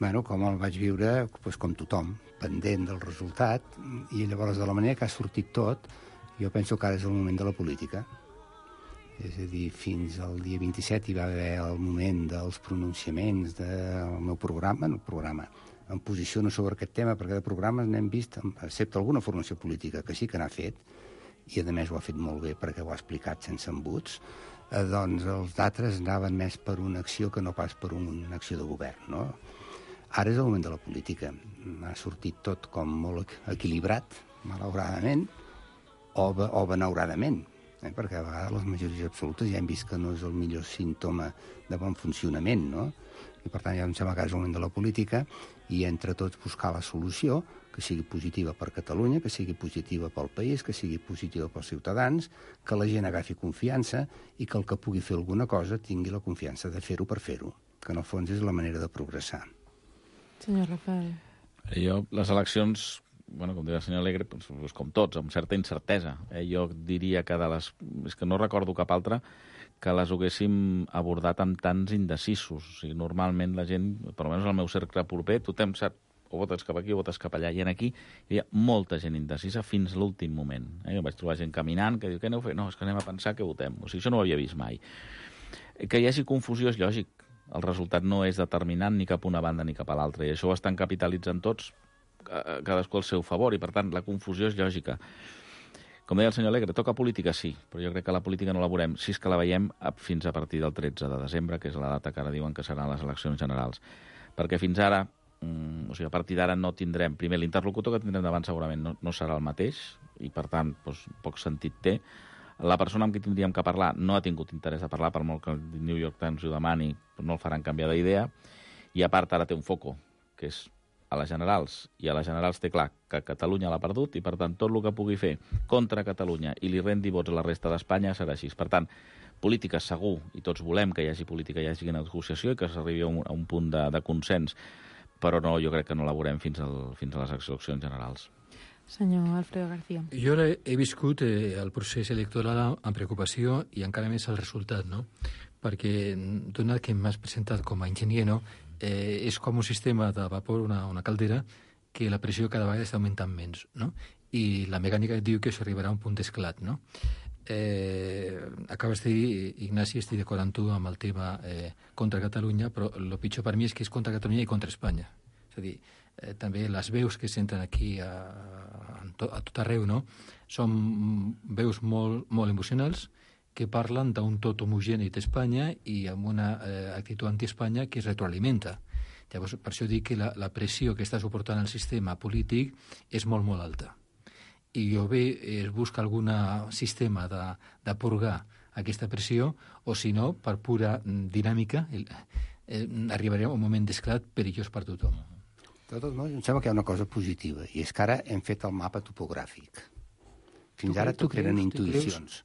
Bueno, com el vaig viure, doncs com tothom, pendent del resultat, i llavors de la manera que ha sortit tot, jo penso que ara és el moment de la política. És a dir, fins al dia 27 hi va haver el moment dels pronunciaments del meu programa, em posiciono sobre aquest tema, perquè de programes n'hem vist, excepte alguna formació política que sí que n'ha fet, i a més ho ha fet molt bé perquè ho ha explicat sense embuts, doncs els d'altres anaven més per una acció que no pas per una acció de govern, no? Ara és el moment de la política. Ha sortit tot com molt equilibrat, malauradament, o benauradament, perquè a vegades les majories absolutes ja hem vist que no és el millor símptoma de bon funcionament, no? I per tant ja em sembla que és el moment de la política i entre tots buscar la solució que sigui positiva per Catalunya, que sigui positiva pel país, que sigui positiva pels ciutadans, que la gent agafi confiança i que el que pugui fer alguna cosa tingui la confiança de fer-ho per fer-ho, que en el fons és la manera de progressar. Senyor Rafael. Jo, les eleccions, bueno, com deia el senyor Alegre, doncs, com tots, amb certa incertesa. Jo diria que és que no recordo cap altra que les haguéssim abordat amb tants indecisos. O sigui, normalment la gent, per almenys el meu cercle proper, tothom sap o votes cap aquí o votes cap allà. I aquí hi havia molta gent indecisa fins l'últim moment. Jo vaig trobar gent caminant que diu, què aneu a fer? No, és que anem a pensar que votem. O sigui, això no ho havia vist mai. Que hi hagi confusió és lògic. El resultat no és determinant ni cap a una banda ni cap a l'altra, i això ho estan capitalitzant tots, cadascú al seu favor, i per tant la confusió és lògica. Com deia el senyor Alegre, toca política sí, però jo crec que la política no la veurem, si és que la veiem fins a partir del 13 de desembre, que és la data que ara diuen que seran les eleccions generals. Perquè fins ara, o sigui, a partir d'ara no tindrem, primer l'interlocutor que tindrem davant segurament no serà el mateix, i per tant doncs, poc sentit té. La persona amb qui tindríem que parlar no ha tingut interès de parlar, per molt que el New York Times ho demani, no el faran canviar d'idea, i a part ara té un foco, que és a les generals, i a les generals té clar que Catalunya l'ha perdut, i per tant tot el que pugui fer contra Catalunya i li rendi vots a la resta d'Espanya serà així. Per tant, política segur, i tots volem que hi hagi política, hi hagi negociació i que s'arribi a un punt de consens, però no, jo crec que no la veurem fins a les eleccions generals. Senyor Alfredo García. Jo he viscut el procés electoral amb preocupació i encara més el resultat, no? Perquè, donat que m'has presentat com a enginyer, no? És com un sistema de vapor, una caldera, que la pressió cada vegada està augmentant menys, no? I la mecànica diu que s'arribarà a un punt d'esclat, no? Acabes de dir, Ignasi, estic d'acord amb tu amb el tema contra Catalunya, però el pitjor per mi és que és contra Catalunya i contra Espanya. És a dir, també les veus que senten aquí a tot arreu, no? Són veus molt emocionals que parlen d'un tot homogeni d'Espanya i amb una actitud anti-Espanya que es retroalimenta. Llavors, per això dic que la pressió que està suportant el sistema polític és molt, molt alta. I jo es busca algun sistema de purgar aquesta pressió, o si no, per pura dinàmica, arribarem a un moment d'esclat perillós per tothom. De tot mots, em sembla que hi ha una cosa positiva, i és que ara hem fet el mapa topogràfic. Fins ara tot eren intuïcions.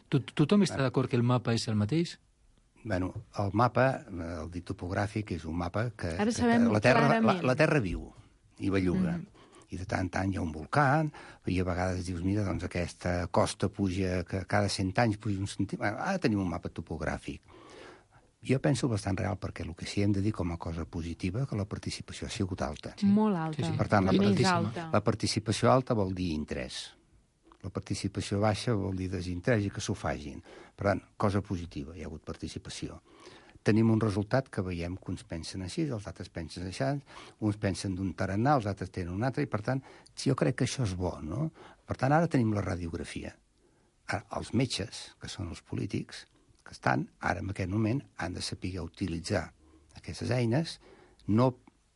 Tothom està d'acord que el mapa és el mateix? Bueno, el mapa, el dit topogràfic, és un mapa que la Terra viu i belluga. I de tant en tant hi ha un volcà, i a vegades dius, mira, doncs aquesta costa puja, que cada 100 anys puja un centímetre. Ara tenim un mapa topogràfic. Jo penso bastant real, perquè el que sí hem de dir com a cosa positiva que la participació ha sigut alta. Molt alta. Per tant, Més alta. la participació alta vol dir interès. La participació baixa vol dir desinterès i que s'ho fagin. Per tant, cosa positiva, hi ha hagut participació. Tenim un resultat que veiem que uns pensen així, els altres pensen així, uns pensen d'un tarannà, els altres tenen un altre, i per tant, jo crec que això és bo, no? Per tant, ara tenim la radiografia. Ara, els metges, que són els polítics, que estan, ara en aquest moment, han de saber utilitzar aquestes eines, no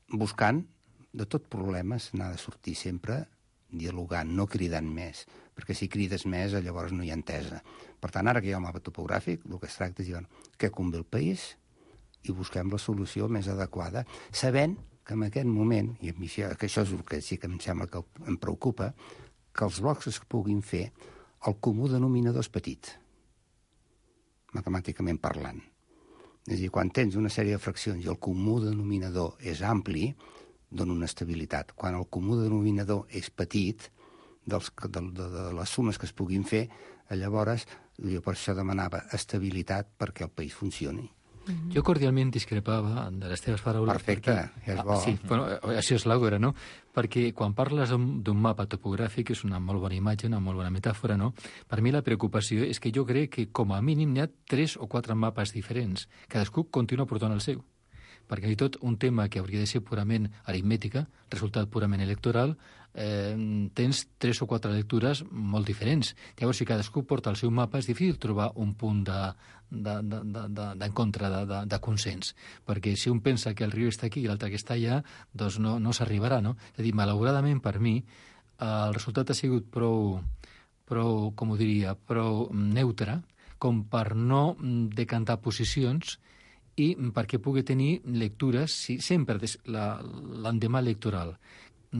buscant de tot problemes, n'ha de sortir sempre dialogant, no cridant més, perquè si crides més llavors no hi ha entesa. Per tant, ara que hi ha un mapa topogràfic, el que es tracta és dir què convé al país i busquem la solució més adequada, sabent que en aquest moment, i que això és el que sí que em sembla que em preocupa, que els blocs es puguin fer, el comú denominador és petit, matemàticament parlant. És a dir, quan tens una sèrie de fraccions i el comú denominador és ampli, dona una estabilitat. Quan el comú denominador és petit, de les sumes que es puguin fer, llavors jo per això demanava estabilitat perquè el país funcioni. Jo cordialment discrepava de les teves paraules. Perfecte, perquè, és bo. Sí, bueno, això és l'àgora, no? Perquè quan parles d'un mapa topogràfic, és una molt bona imatge, una molt bona metàfora, no? Per mi la preocupació és que jo crec que com a mínim hi ha 3 o 4 mapes diferents. Cadascú continua portant el seu. Perquè tot un tema que hauria de ser purament aritmètica, resultat purament electoral, tens 3 o 4 lectures molt diferents. Llavors, si cadascú porta el seu mapa, és difícil trobar un punt d'encontre, de consens. Perquè si un pensa que el riu està aquí i l'altre que està allà, doncs no s'arribarà, no? És a dir, malauradament per mi, el resultat ha sigut prou com ho diria, prou neutre, com per no decantar posicions i perquè pugui tenir lectures, sempre l'endemà electoral.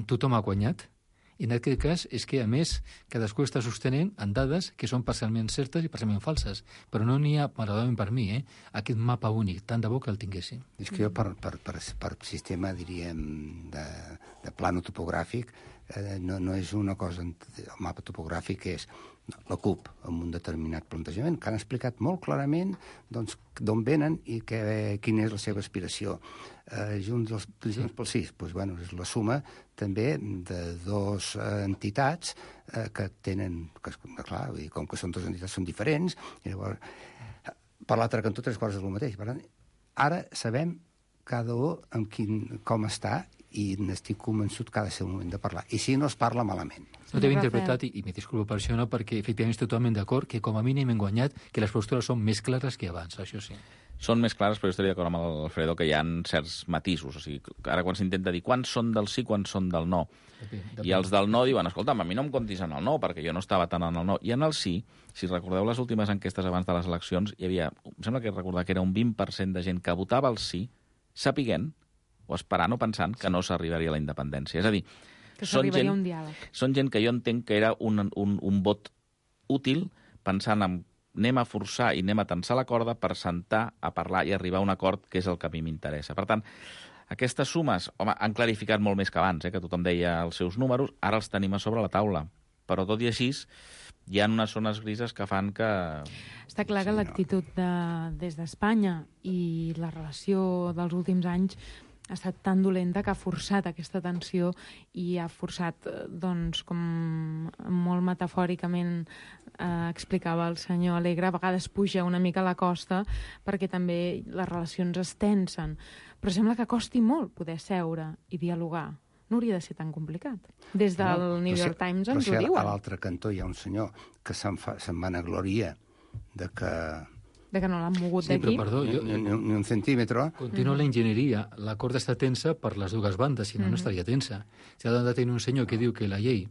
Tothom ha guanyat, i en aquest cas és que, a més, cadascú està sostenint en dades que són parcialment certes i parcialment falses, però no n'hi ha, malauradament per mi, aquest mapa únic, tant de bo que el tinguéssim. És que jo per sistema, diríem, de plano topogràfic, no és una cosa, el mapa topogràfic és la CUP, amb un determinat plantejament, que han explicat molt clarament d'on venen i quina és la seva aspiració. Junts pel Sí, doncs, és la suma també de 2 entitats que tenen, clar, com que són 2 entitats són diferents, i llavors, per l'altre cantó 3 quarts és el mateix. Per tant, ara sabem cada un com està i n'estic convençut que ha de ser el moment de parlar. I si no es parla malament. No t'he interpretat, i me disculpo per això, no, perquè efectivament estic totalment d'acord que com a mínim hem guanyat, que les postures són més clares que abans, això sí. Són més clares, però jo estaria d'acord amb l'Alfredo que hi ha certs matisos. O sigui, ara quan s'intenta dir quants són del sí, quants són del no. I els del no diuen, escolta'm, a mi no em comptis en el no, perquè jo no estava tant en el no. I en el sí, si recordeu les últimes enquestes abans de les eleccions, hi havia, em sembla que recordar que era un 20% de gent que votava el sí, sapiguent o esperant o pensant que no s'arribaria a la independència. És a dir, que s'arribaria a un diàleg. Són gent que jo entenc que era un vot útil pensant en anem a forçar i anem a tensar la corda per sentar a parlar i arribar a un acord que és el que a mi m'interessa. Per tant, aquestes sumes, home, han clarificat molt més que abans, que tothom deia els seus números, ara els tenim a sobre la taula. Però tot i així, hi ha unes zones grises que fan que... Està clar que l'actitud des d'Espanya i la relació dels últims anys ha estat tan dolenta que ha forçat aquesta tensió i ha forçat, doncs, com molt metafòricament explicava el senyor Alegre, a vegades puja una mica a la costa perquè també les relacions es tensen. Però sembla que costi molt poder seure i dialogar. No hauria de ser tan complicat. Des del New York Times ens ho diuen. A l'altre cantó hi ha un senyor que se'n vanagloria de que no l'han mogut d'aquí. Sí, però perdó, ni un centímetre. Continua la enginyeria. La corda està tensa per les dues bandes, si no, no estaria tensa. Si ha de tenir un senyor que diu que la llei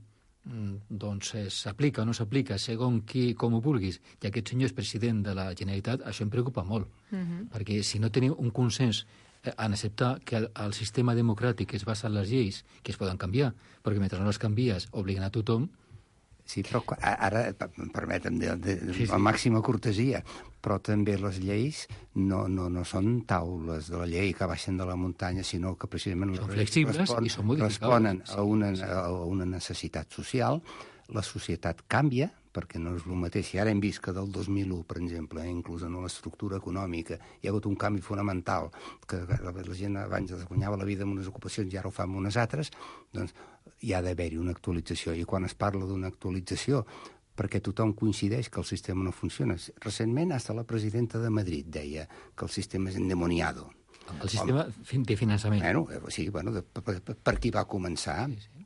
doncs s'aplica o no s'aplica segons qui, com ho vulguis, i aquest senyor és president de la Generalitat, això em preocupa molt. Perquè si no tenim un consens en acceptar que el sistema democràtic es basa en les lleis, que es poden canviar, perquè mentre no les canvies obliguen a tothom. Sí, però ara, permetem, la màxima cortesia, però també les lleis no són taules de la llei que baixen de la muntanya, sinó que precisament són flexibles i són responen a una necessitat social. La societat canvia, perquè no és el mateix. Si ara hem vist que del 2001, per exemple, inclús en l'estructura econòmica, hi ha hagut un canvi fonamental, que la gent abans es guanyava la vida en unes ocupacions i ara ho fa en unes altres, doncs hi ha d'haver-hi una actualització. I quan es parla d'una actualització, perquè tothom coincideix que el sistema no funciona. Recentment, hasta la presidenta de Madrid deia que el sistema és endemoniado. El sistema de finançament. Sí, per qui va començar. Sí.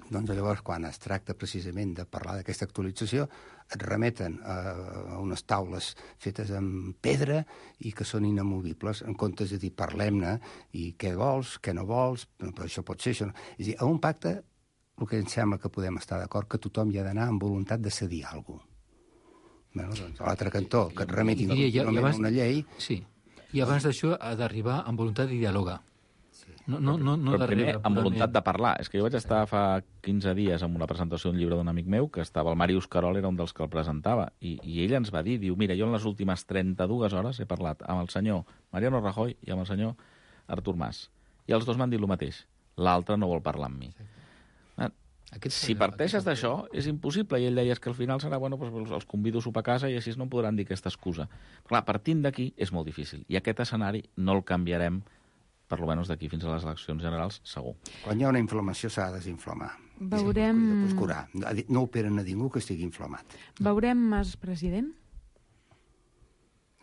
Doncs llavors, quan es tracta precisament de parlar d'aquesta actualització, et remeten a unes taules fetes amb pedra i que són inamovibles, en comptes de dir parlem-ne i què vols, què no vols, però això pot ser, això no. És a dir, a un pacte, el que em sembla que podem estar d'acord, que tothom hi ha d'anar amb voluntat de cedir alguna cosa. Doncs a l'altre cantó, que et remetin a una llei... Sí, i abans d'això ha d'arribar amb voluntat de dialogar. No però primer, amb voluntat de parlar. És que jo vaig estar fa 15 dies en una presentació d'un llibre d'un amic meu, que estava, el Màrius Carol era un dels que el presentava, i ell ens va dir, diu, mira, jo en les últimes 32 hores he parlat amb el senyor Mariano Rajoy i amb el senyor Artur Mas. I els dos m'han dit el mateix. L'altre no vol parlar amb mi. Si parteixes d'això, és impossible. I ell deia que al final serà, bueno, doncs els convido a sopar a casa i així no em podran dir aquesta excusa. Però clar, partint d'aquí és molt difícil. I aquest escenari no el canviarem per lo menys d'aquí fins a les eleccions generals, segur. Quan hi ha una inflamació s'ha de desinflamar. Veurem... Curar. No operen a ningú que estigui inflamat. Veurem Mas president?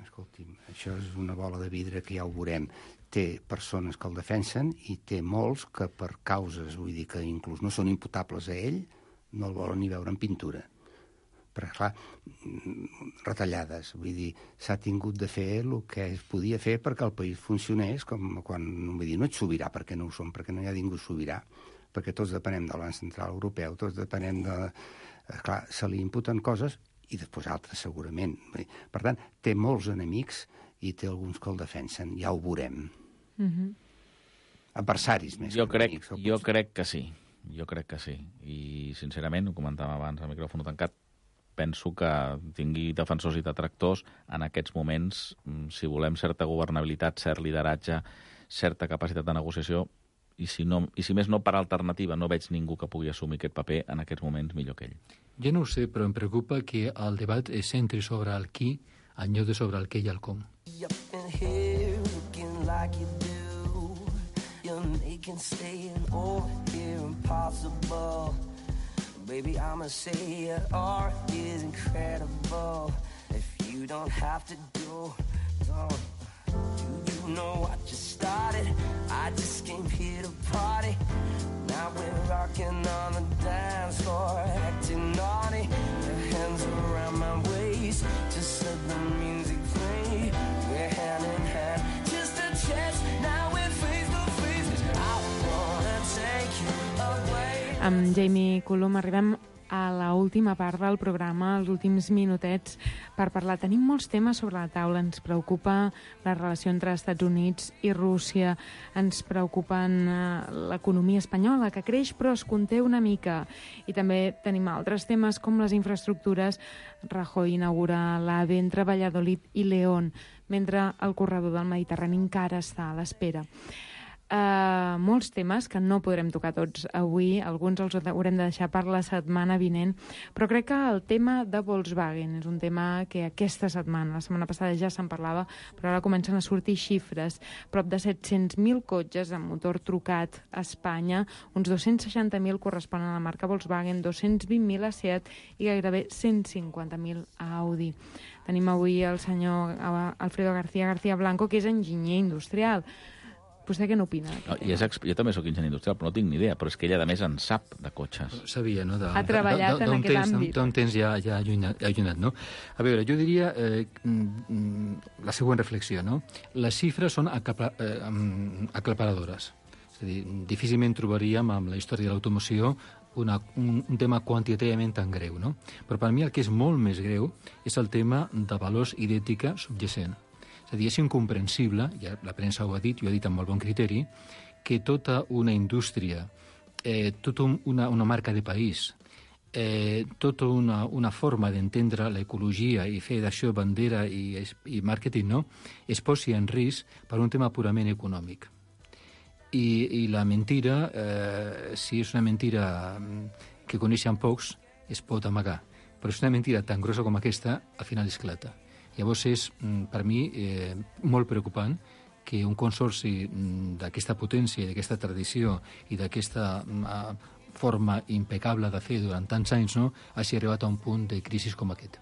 Escolti'm, això és una bola de vidre que ja ho veurem. Té persones que el defensen i té molts que per causes, vull dir que inclús no són imputables a ell, no el volen ni veure en pintura. Però, clar, retallades, vull dir, s'ha tingut de fer el que es podia fer perquè el país funcionés, com quan, vull dir, no ets sobirà perquè no ho som, perquè no hi ha ningú sobirà, perquè tots depenem del Banc Central Europeu, tots depenem de... Clar, se li imputen coses i després altres, segurament. Per tant, té molts enemics i té alguns que el defensen, ja ho veurem. Adversaris més que enemics. Jo crec que sí, I, sincerament, ho comentàvem abans al micròfon tancat, penso que tingui defensors i detractors en aquests moments, si volem certa governabilitat, cert lideratge, certa capacitat de negociació, i si més no per alternativa no veig ningú que pugui assumir aquest paper en aquests moments millor que ell. Jo no ho sé, però em preocupa que el debat es centri sobre el qui en lloc de sobre el què i el com. Baby, I'ma say your art is incredible. If you don't have to do you know I just started? I just came here to party. Now we're rocking on the dance floor, acting naughty. Your hands around my waist, just let the music play. We're hand in hand, just a chance. Now we're face to face. I wanna take you away. Amb Jamie Cullum arribem a l'última part del programa, els últims minutets per parlar. Tenim molts temes sobre la taula. Ens preocupa la relació entre Estats Units i Rússia, ens preocupen l'economia espanyola, que creix però es conté una mica. I també tenim altres temes com les infraestructures. Rajoy inaugura l'AVE entre Valladolid i León, mentre el corredor del Mediterrani encara està a l'espera. Molts temes que no podrem tocar tots avui, alguns els haurem de deixar per la setmana vinent, però crec que el tema de Volkswagen és un tema que aquesta setmana, la setmana passada ja se'n parlava, però ara comencen a sortir xifres. Prop de 700.000 cotxes amb motor trucat a Espanya, uns 260.000 corresponen a la marca Volkswagen, 220.000 a Seat i gairebé 150.000 a Audi. Tenim avui el senyor Alfredo García Blanco, que és enginyer industrial. Vostè què n'opina? No, jo també sóc enginyer industrial, però no tinc ni idea. Però és que ella, a més, en sap de cotxes. Sabia, no? Ha treballat en aquest àmbit. D'un temps ja allunyat, no? A veure, jo diria la següent reflexió, no? Les xifres són aclaparadores. És a dir, difícilment trobaríem amb la història de l'automoció un tema quantitativament tan greu, no? Però per mi el que és molt més greu és el tema de valors i d'ètica subjacent. És a dir, és incomprensible, ja la premsa ho ha dit, i ho ha dit amb molt bon criteri, que tota una indústria, tota una marca de país, tota una forma d'entendre l'ecologia i fer d'això bandera i màrqueting, no?, es posi en risc per un tema purament econòmic. I la mentira, si és una mentira que coneixen pocs, es pot amagar. però és una mentida tan grossa com aquesta, al final esclata. Llavors és, per mi, molt preocupant que un consorci d'aquesta potència, d'aquesta tradició i d'aquesta forma impecable de fer durant tants anys, no, hagi arribat a un punt de crisi com aquest.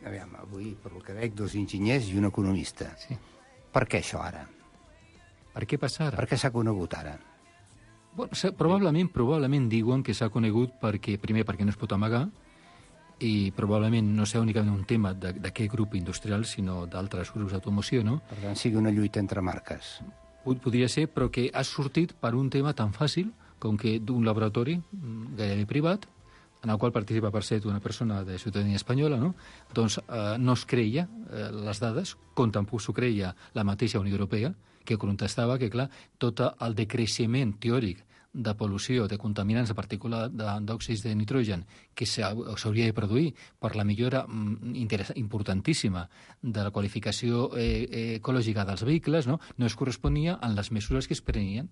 Aviam, avui, per el que veig, 2 enginyers i un economista. Sí. Per què això ara? Per què passa ara? Per què s'ha conegut ara? Bueno, probablement diuen que s'ha conegut primer perquè no es pot amagar, i probablement no sigui únicament un tema d'aquest grup industrial, sinó d'altres grups d'automoció, no? Per tant, sigui una lluita entre marques. Podria ser, però que ha sortit per un tema tan fàcil com que d'un laboratori gairebé privat, en el qual participa, per cert, una persona de ciutadania espanyola, no? Doncs no es creia les dades, com tampoc s'ho creia la mateixa Unió Europea, que contestava que, clar, tot el decreixement teòric de pol·lució, de contaminants de partícules d'òxids de nitrogen que s'hauria de produir per la millora importantíssima de la qualificació ecològica dels vehicles, no es corresponia amb les mesures que es prenien.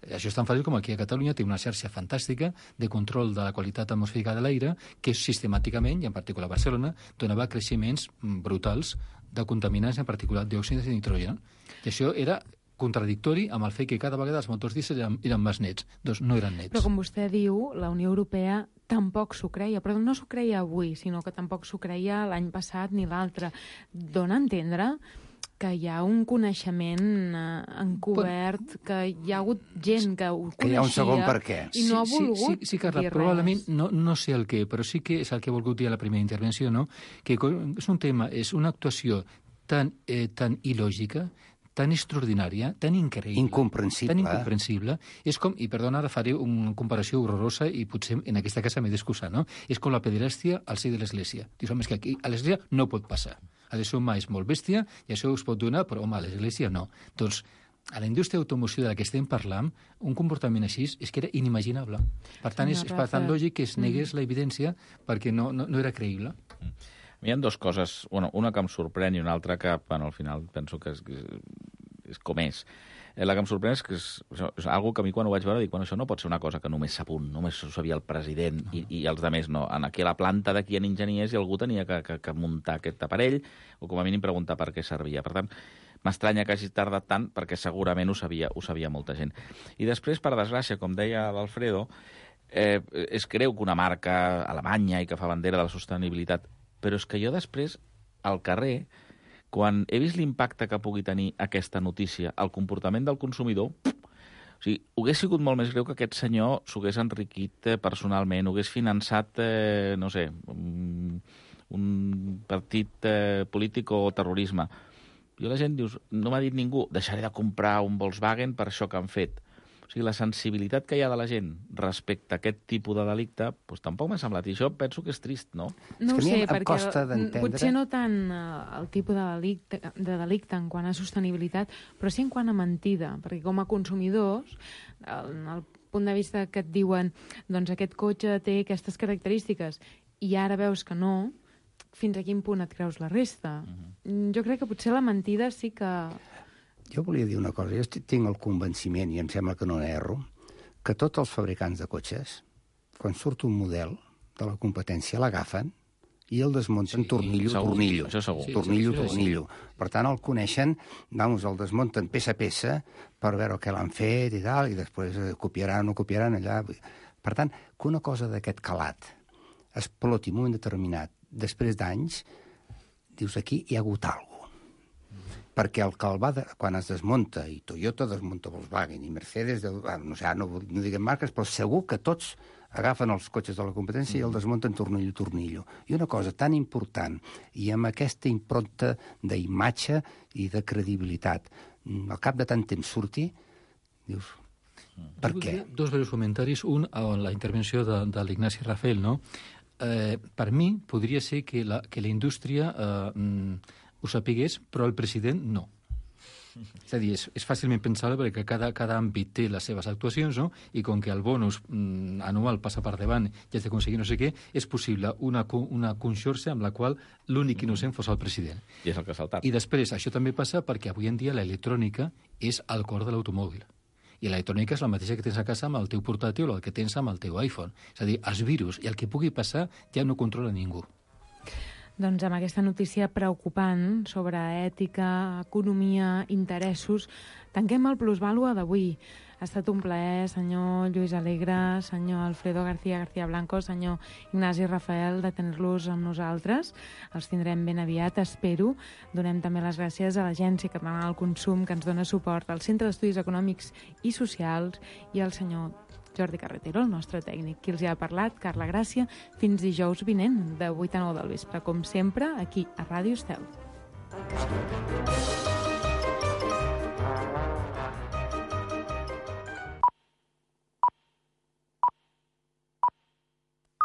Això és tan fàcil com aquí a Catalunya té una xarxa fantàstica de control de la qualitat atmosfèrica de l'aire que sistemàticament, i en particular a Barcelona, donava creixements brutals de contaminants, en particular d'òxids de nitrogen. I això era contradictori amb el fet que cada vegada els motors dièsel eren més nets. Doncs no eren nets. Però com vostè diu, la Unió Europea tampoc s'ho creia, però no s'ho creia avui, sinó que tampoc s'ho creia l'any passat ni l'altre. Dóna a entendre que hi ha un coneixement encobert, que hi ha hagut gent que ho coneixia... Que hi ha un segon per què. I no ha volgut Sí, Carla, dir probablement, res. no sé el què, però sí que és el que he volgut dir a la primera intervenció, no? Que és un tema, és una actuació tan il·lògica, tan extraordinària, tan increïble... Incomprensible. És com, i perdona, ara faré una comparació horrorosa i potser en aquesta casa m'he d'excusar, no? És com la pederàstia al ser de l'Església. Dius, home, és que aquí a l'Església no pot passar. A l'Església és molt bèstia i això us pot donar, però, home, a l'Església no. Doncs, a la indústria d'automoció de la que estem parlant, un comportament així és que era inimaginable. Per tant, és bastant lògic que es negués la evidència perquè no era creïble. Hi ha 2 coses, una que em sorprèn i una altra que, al final, penso que és com és. La que em sorprèn és que és algo que a mi quan ho vaig veure dic, això no pot ser una cosa que només s'apunt, només ho sabia el president i els altres no. Aquí a la planta d'aquí hi ha enginyers i algú tenia que muntar aquest aparell o com a mínim preguntar per què servia. Per tant, m'estranya que hagi tardat tant perquè segurament ho sabia molta gent. I després, per desgràcia, com deia l'Alfredo, es creu que una marca alemanya i que fa bandera de la sostenibilitat, però és que jo després, al carrer, quan he vist l'impacte que pugui tenir aquesta notícia al comportament del consumidor, hauria sigut molt més greu que aquest senyor s'hagués enriquit personalment, hagués finançat, no sé, un partit polític o terrorisme. Jo la gent dius, no m'ha dit ningú, deixaré de comprar un Volkswagen per això que han fet. O sigui, la sensibilitat que hi ha de la gent respecte a aquest tipus de delicte, doncs tampoc m'ha semblat. I això penso que és trist, no? No ho sé, perquè d'entendre... potser no tant el tipus de delicte en quant a sostenibilitat, però sí en quant a mentida, perquè com a consumidors, en el punt de vista que et diuen doncs aquest cotxe té aquestes característiques i ara veus que no, fins a quin punt et creus la resta? Jo crec que potser la mentida sí que... Jo volia dir una cosa. Jo tinc el convenciment, i em sembla que no n'erro, que tots els fabricants de cotxes, quan surt un model de la competència, l'agafen i el desmunten tornillo. Això segur. Tornillo. Per tant, el coneixen, el desmunten peça a peça per veure què l'han fet i tal, i després copiaran o no copiaran allà. Per tant, que una cosa d'aquest calat exploti en un moment determinat, després d'anys, dius, aquí hi ha hagut alguna cosa. Perquè el que quan es desmunta, i Toyota desmunta Volkswagen, i Mercedes, no diguem marques, però segur que tots agafen els cotxes de la competència i el desmunten tornillo. I una cosa tan important, i amb aquesta impronta d'imatge i de credibilitat, al cap de tant temps surti, dius, per què? 2 breus comentaris. Un, a la intervenció de l'Ignasi Rafael, no? Per mi, podria ser que la indústria... ho sapigués, però el president no. És a dir, és fàcilment pensable perquè cada àmbit té les seves actuacions, no? I com que el bonus anual passa per davant i has d'aconseguir no sé què, és possible una conxorxa amb la qual l'únic innocent fos el president. I és el que ha saltat. I després, això també passa perquè avui en dia l'electrònica és al cor de l'automòbil. I l'electrònica és la mateixa que tens a casa amb el teu portàtil o el que tens amb el teu iPhone. És a dir, els virus i el que pugui passar ja no controla ningú. Doncs amb aquesta notícia preocupant sobre ètica, economia, interessos, tanquem el Plusvàlua d'avui. Ha estat un plaer, senyor Lluís Alegre, senyor Alfredo García Blanco, senyor Ignasi Rafael, de tenir-los amb nosaltres. Els tindrem ben aviat, espero. Donem també les gràcies a l'Agència Catalana del Consum, que ens dona suport, al Centre d'Estudis Econòmics i Socials i al senyor Jordi Carretero, el nostre tècnic. Qui els hi ha parlat, Carla Gràcia, fins dijous vinent, de 8 a 9 del vespre, com sempre, aquí a Ràdio Estel.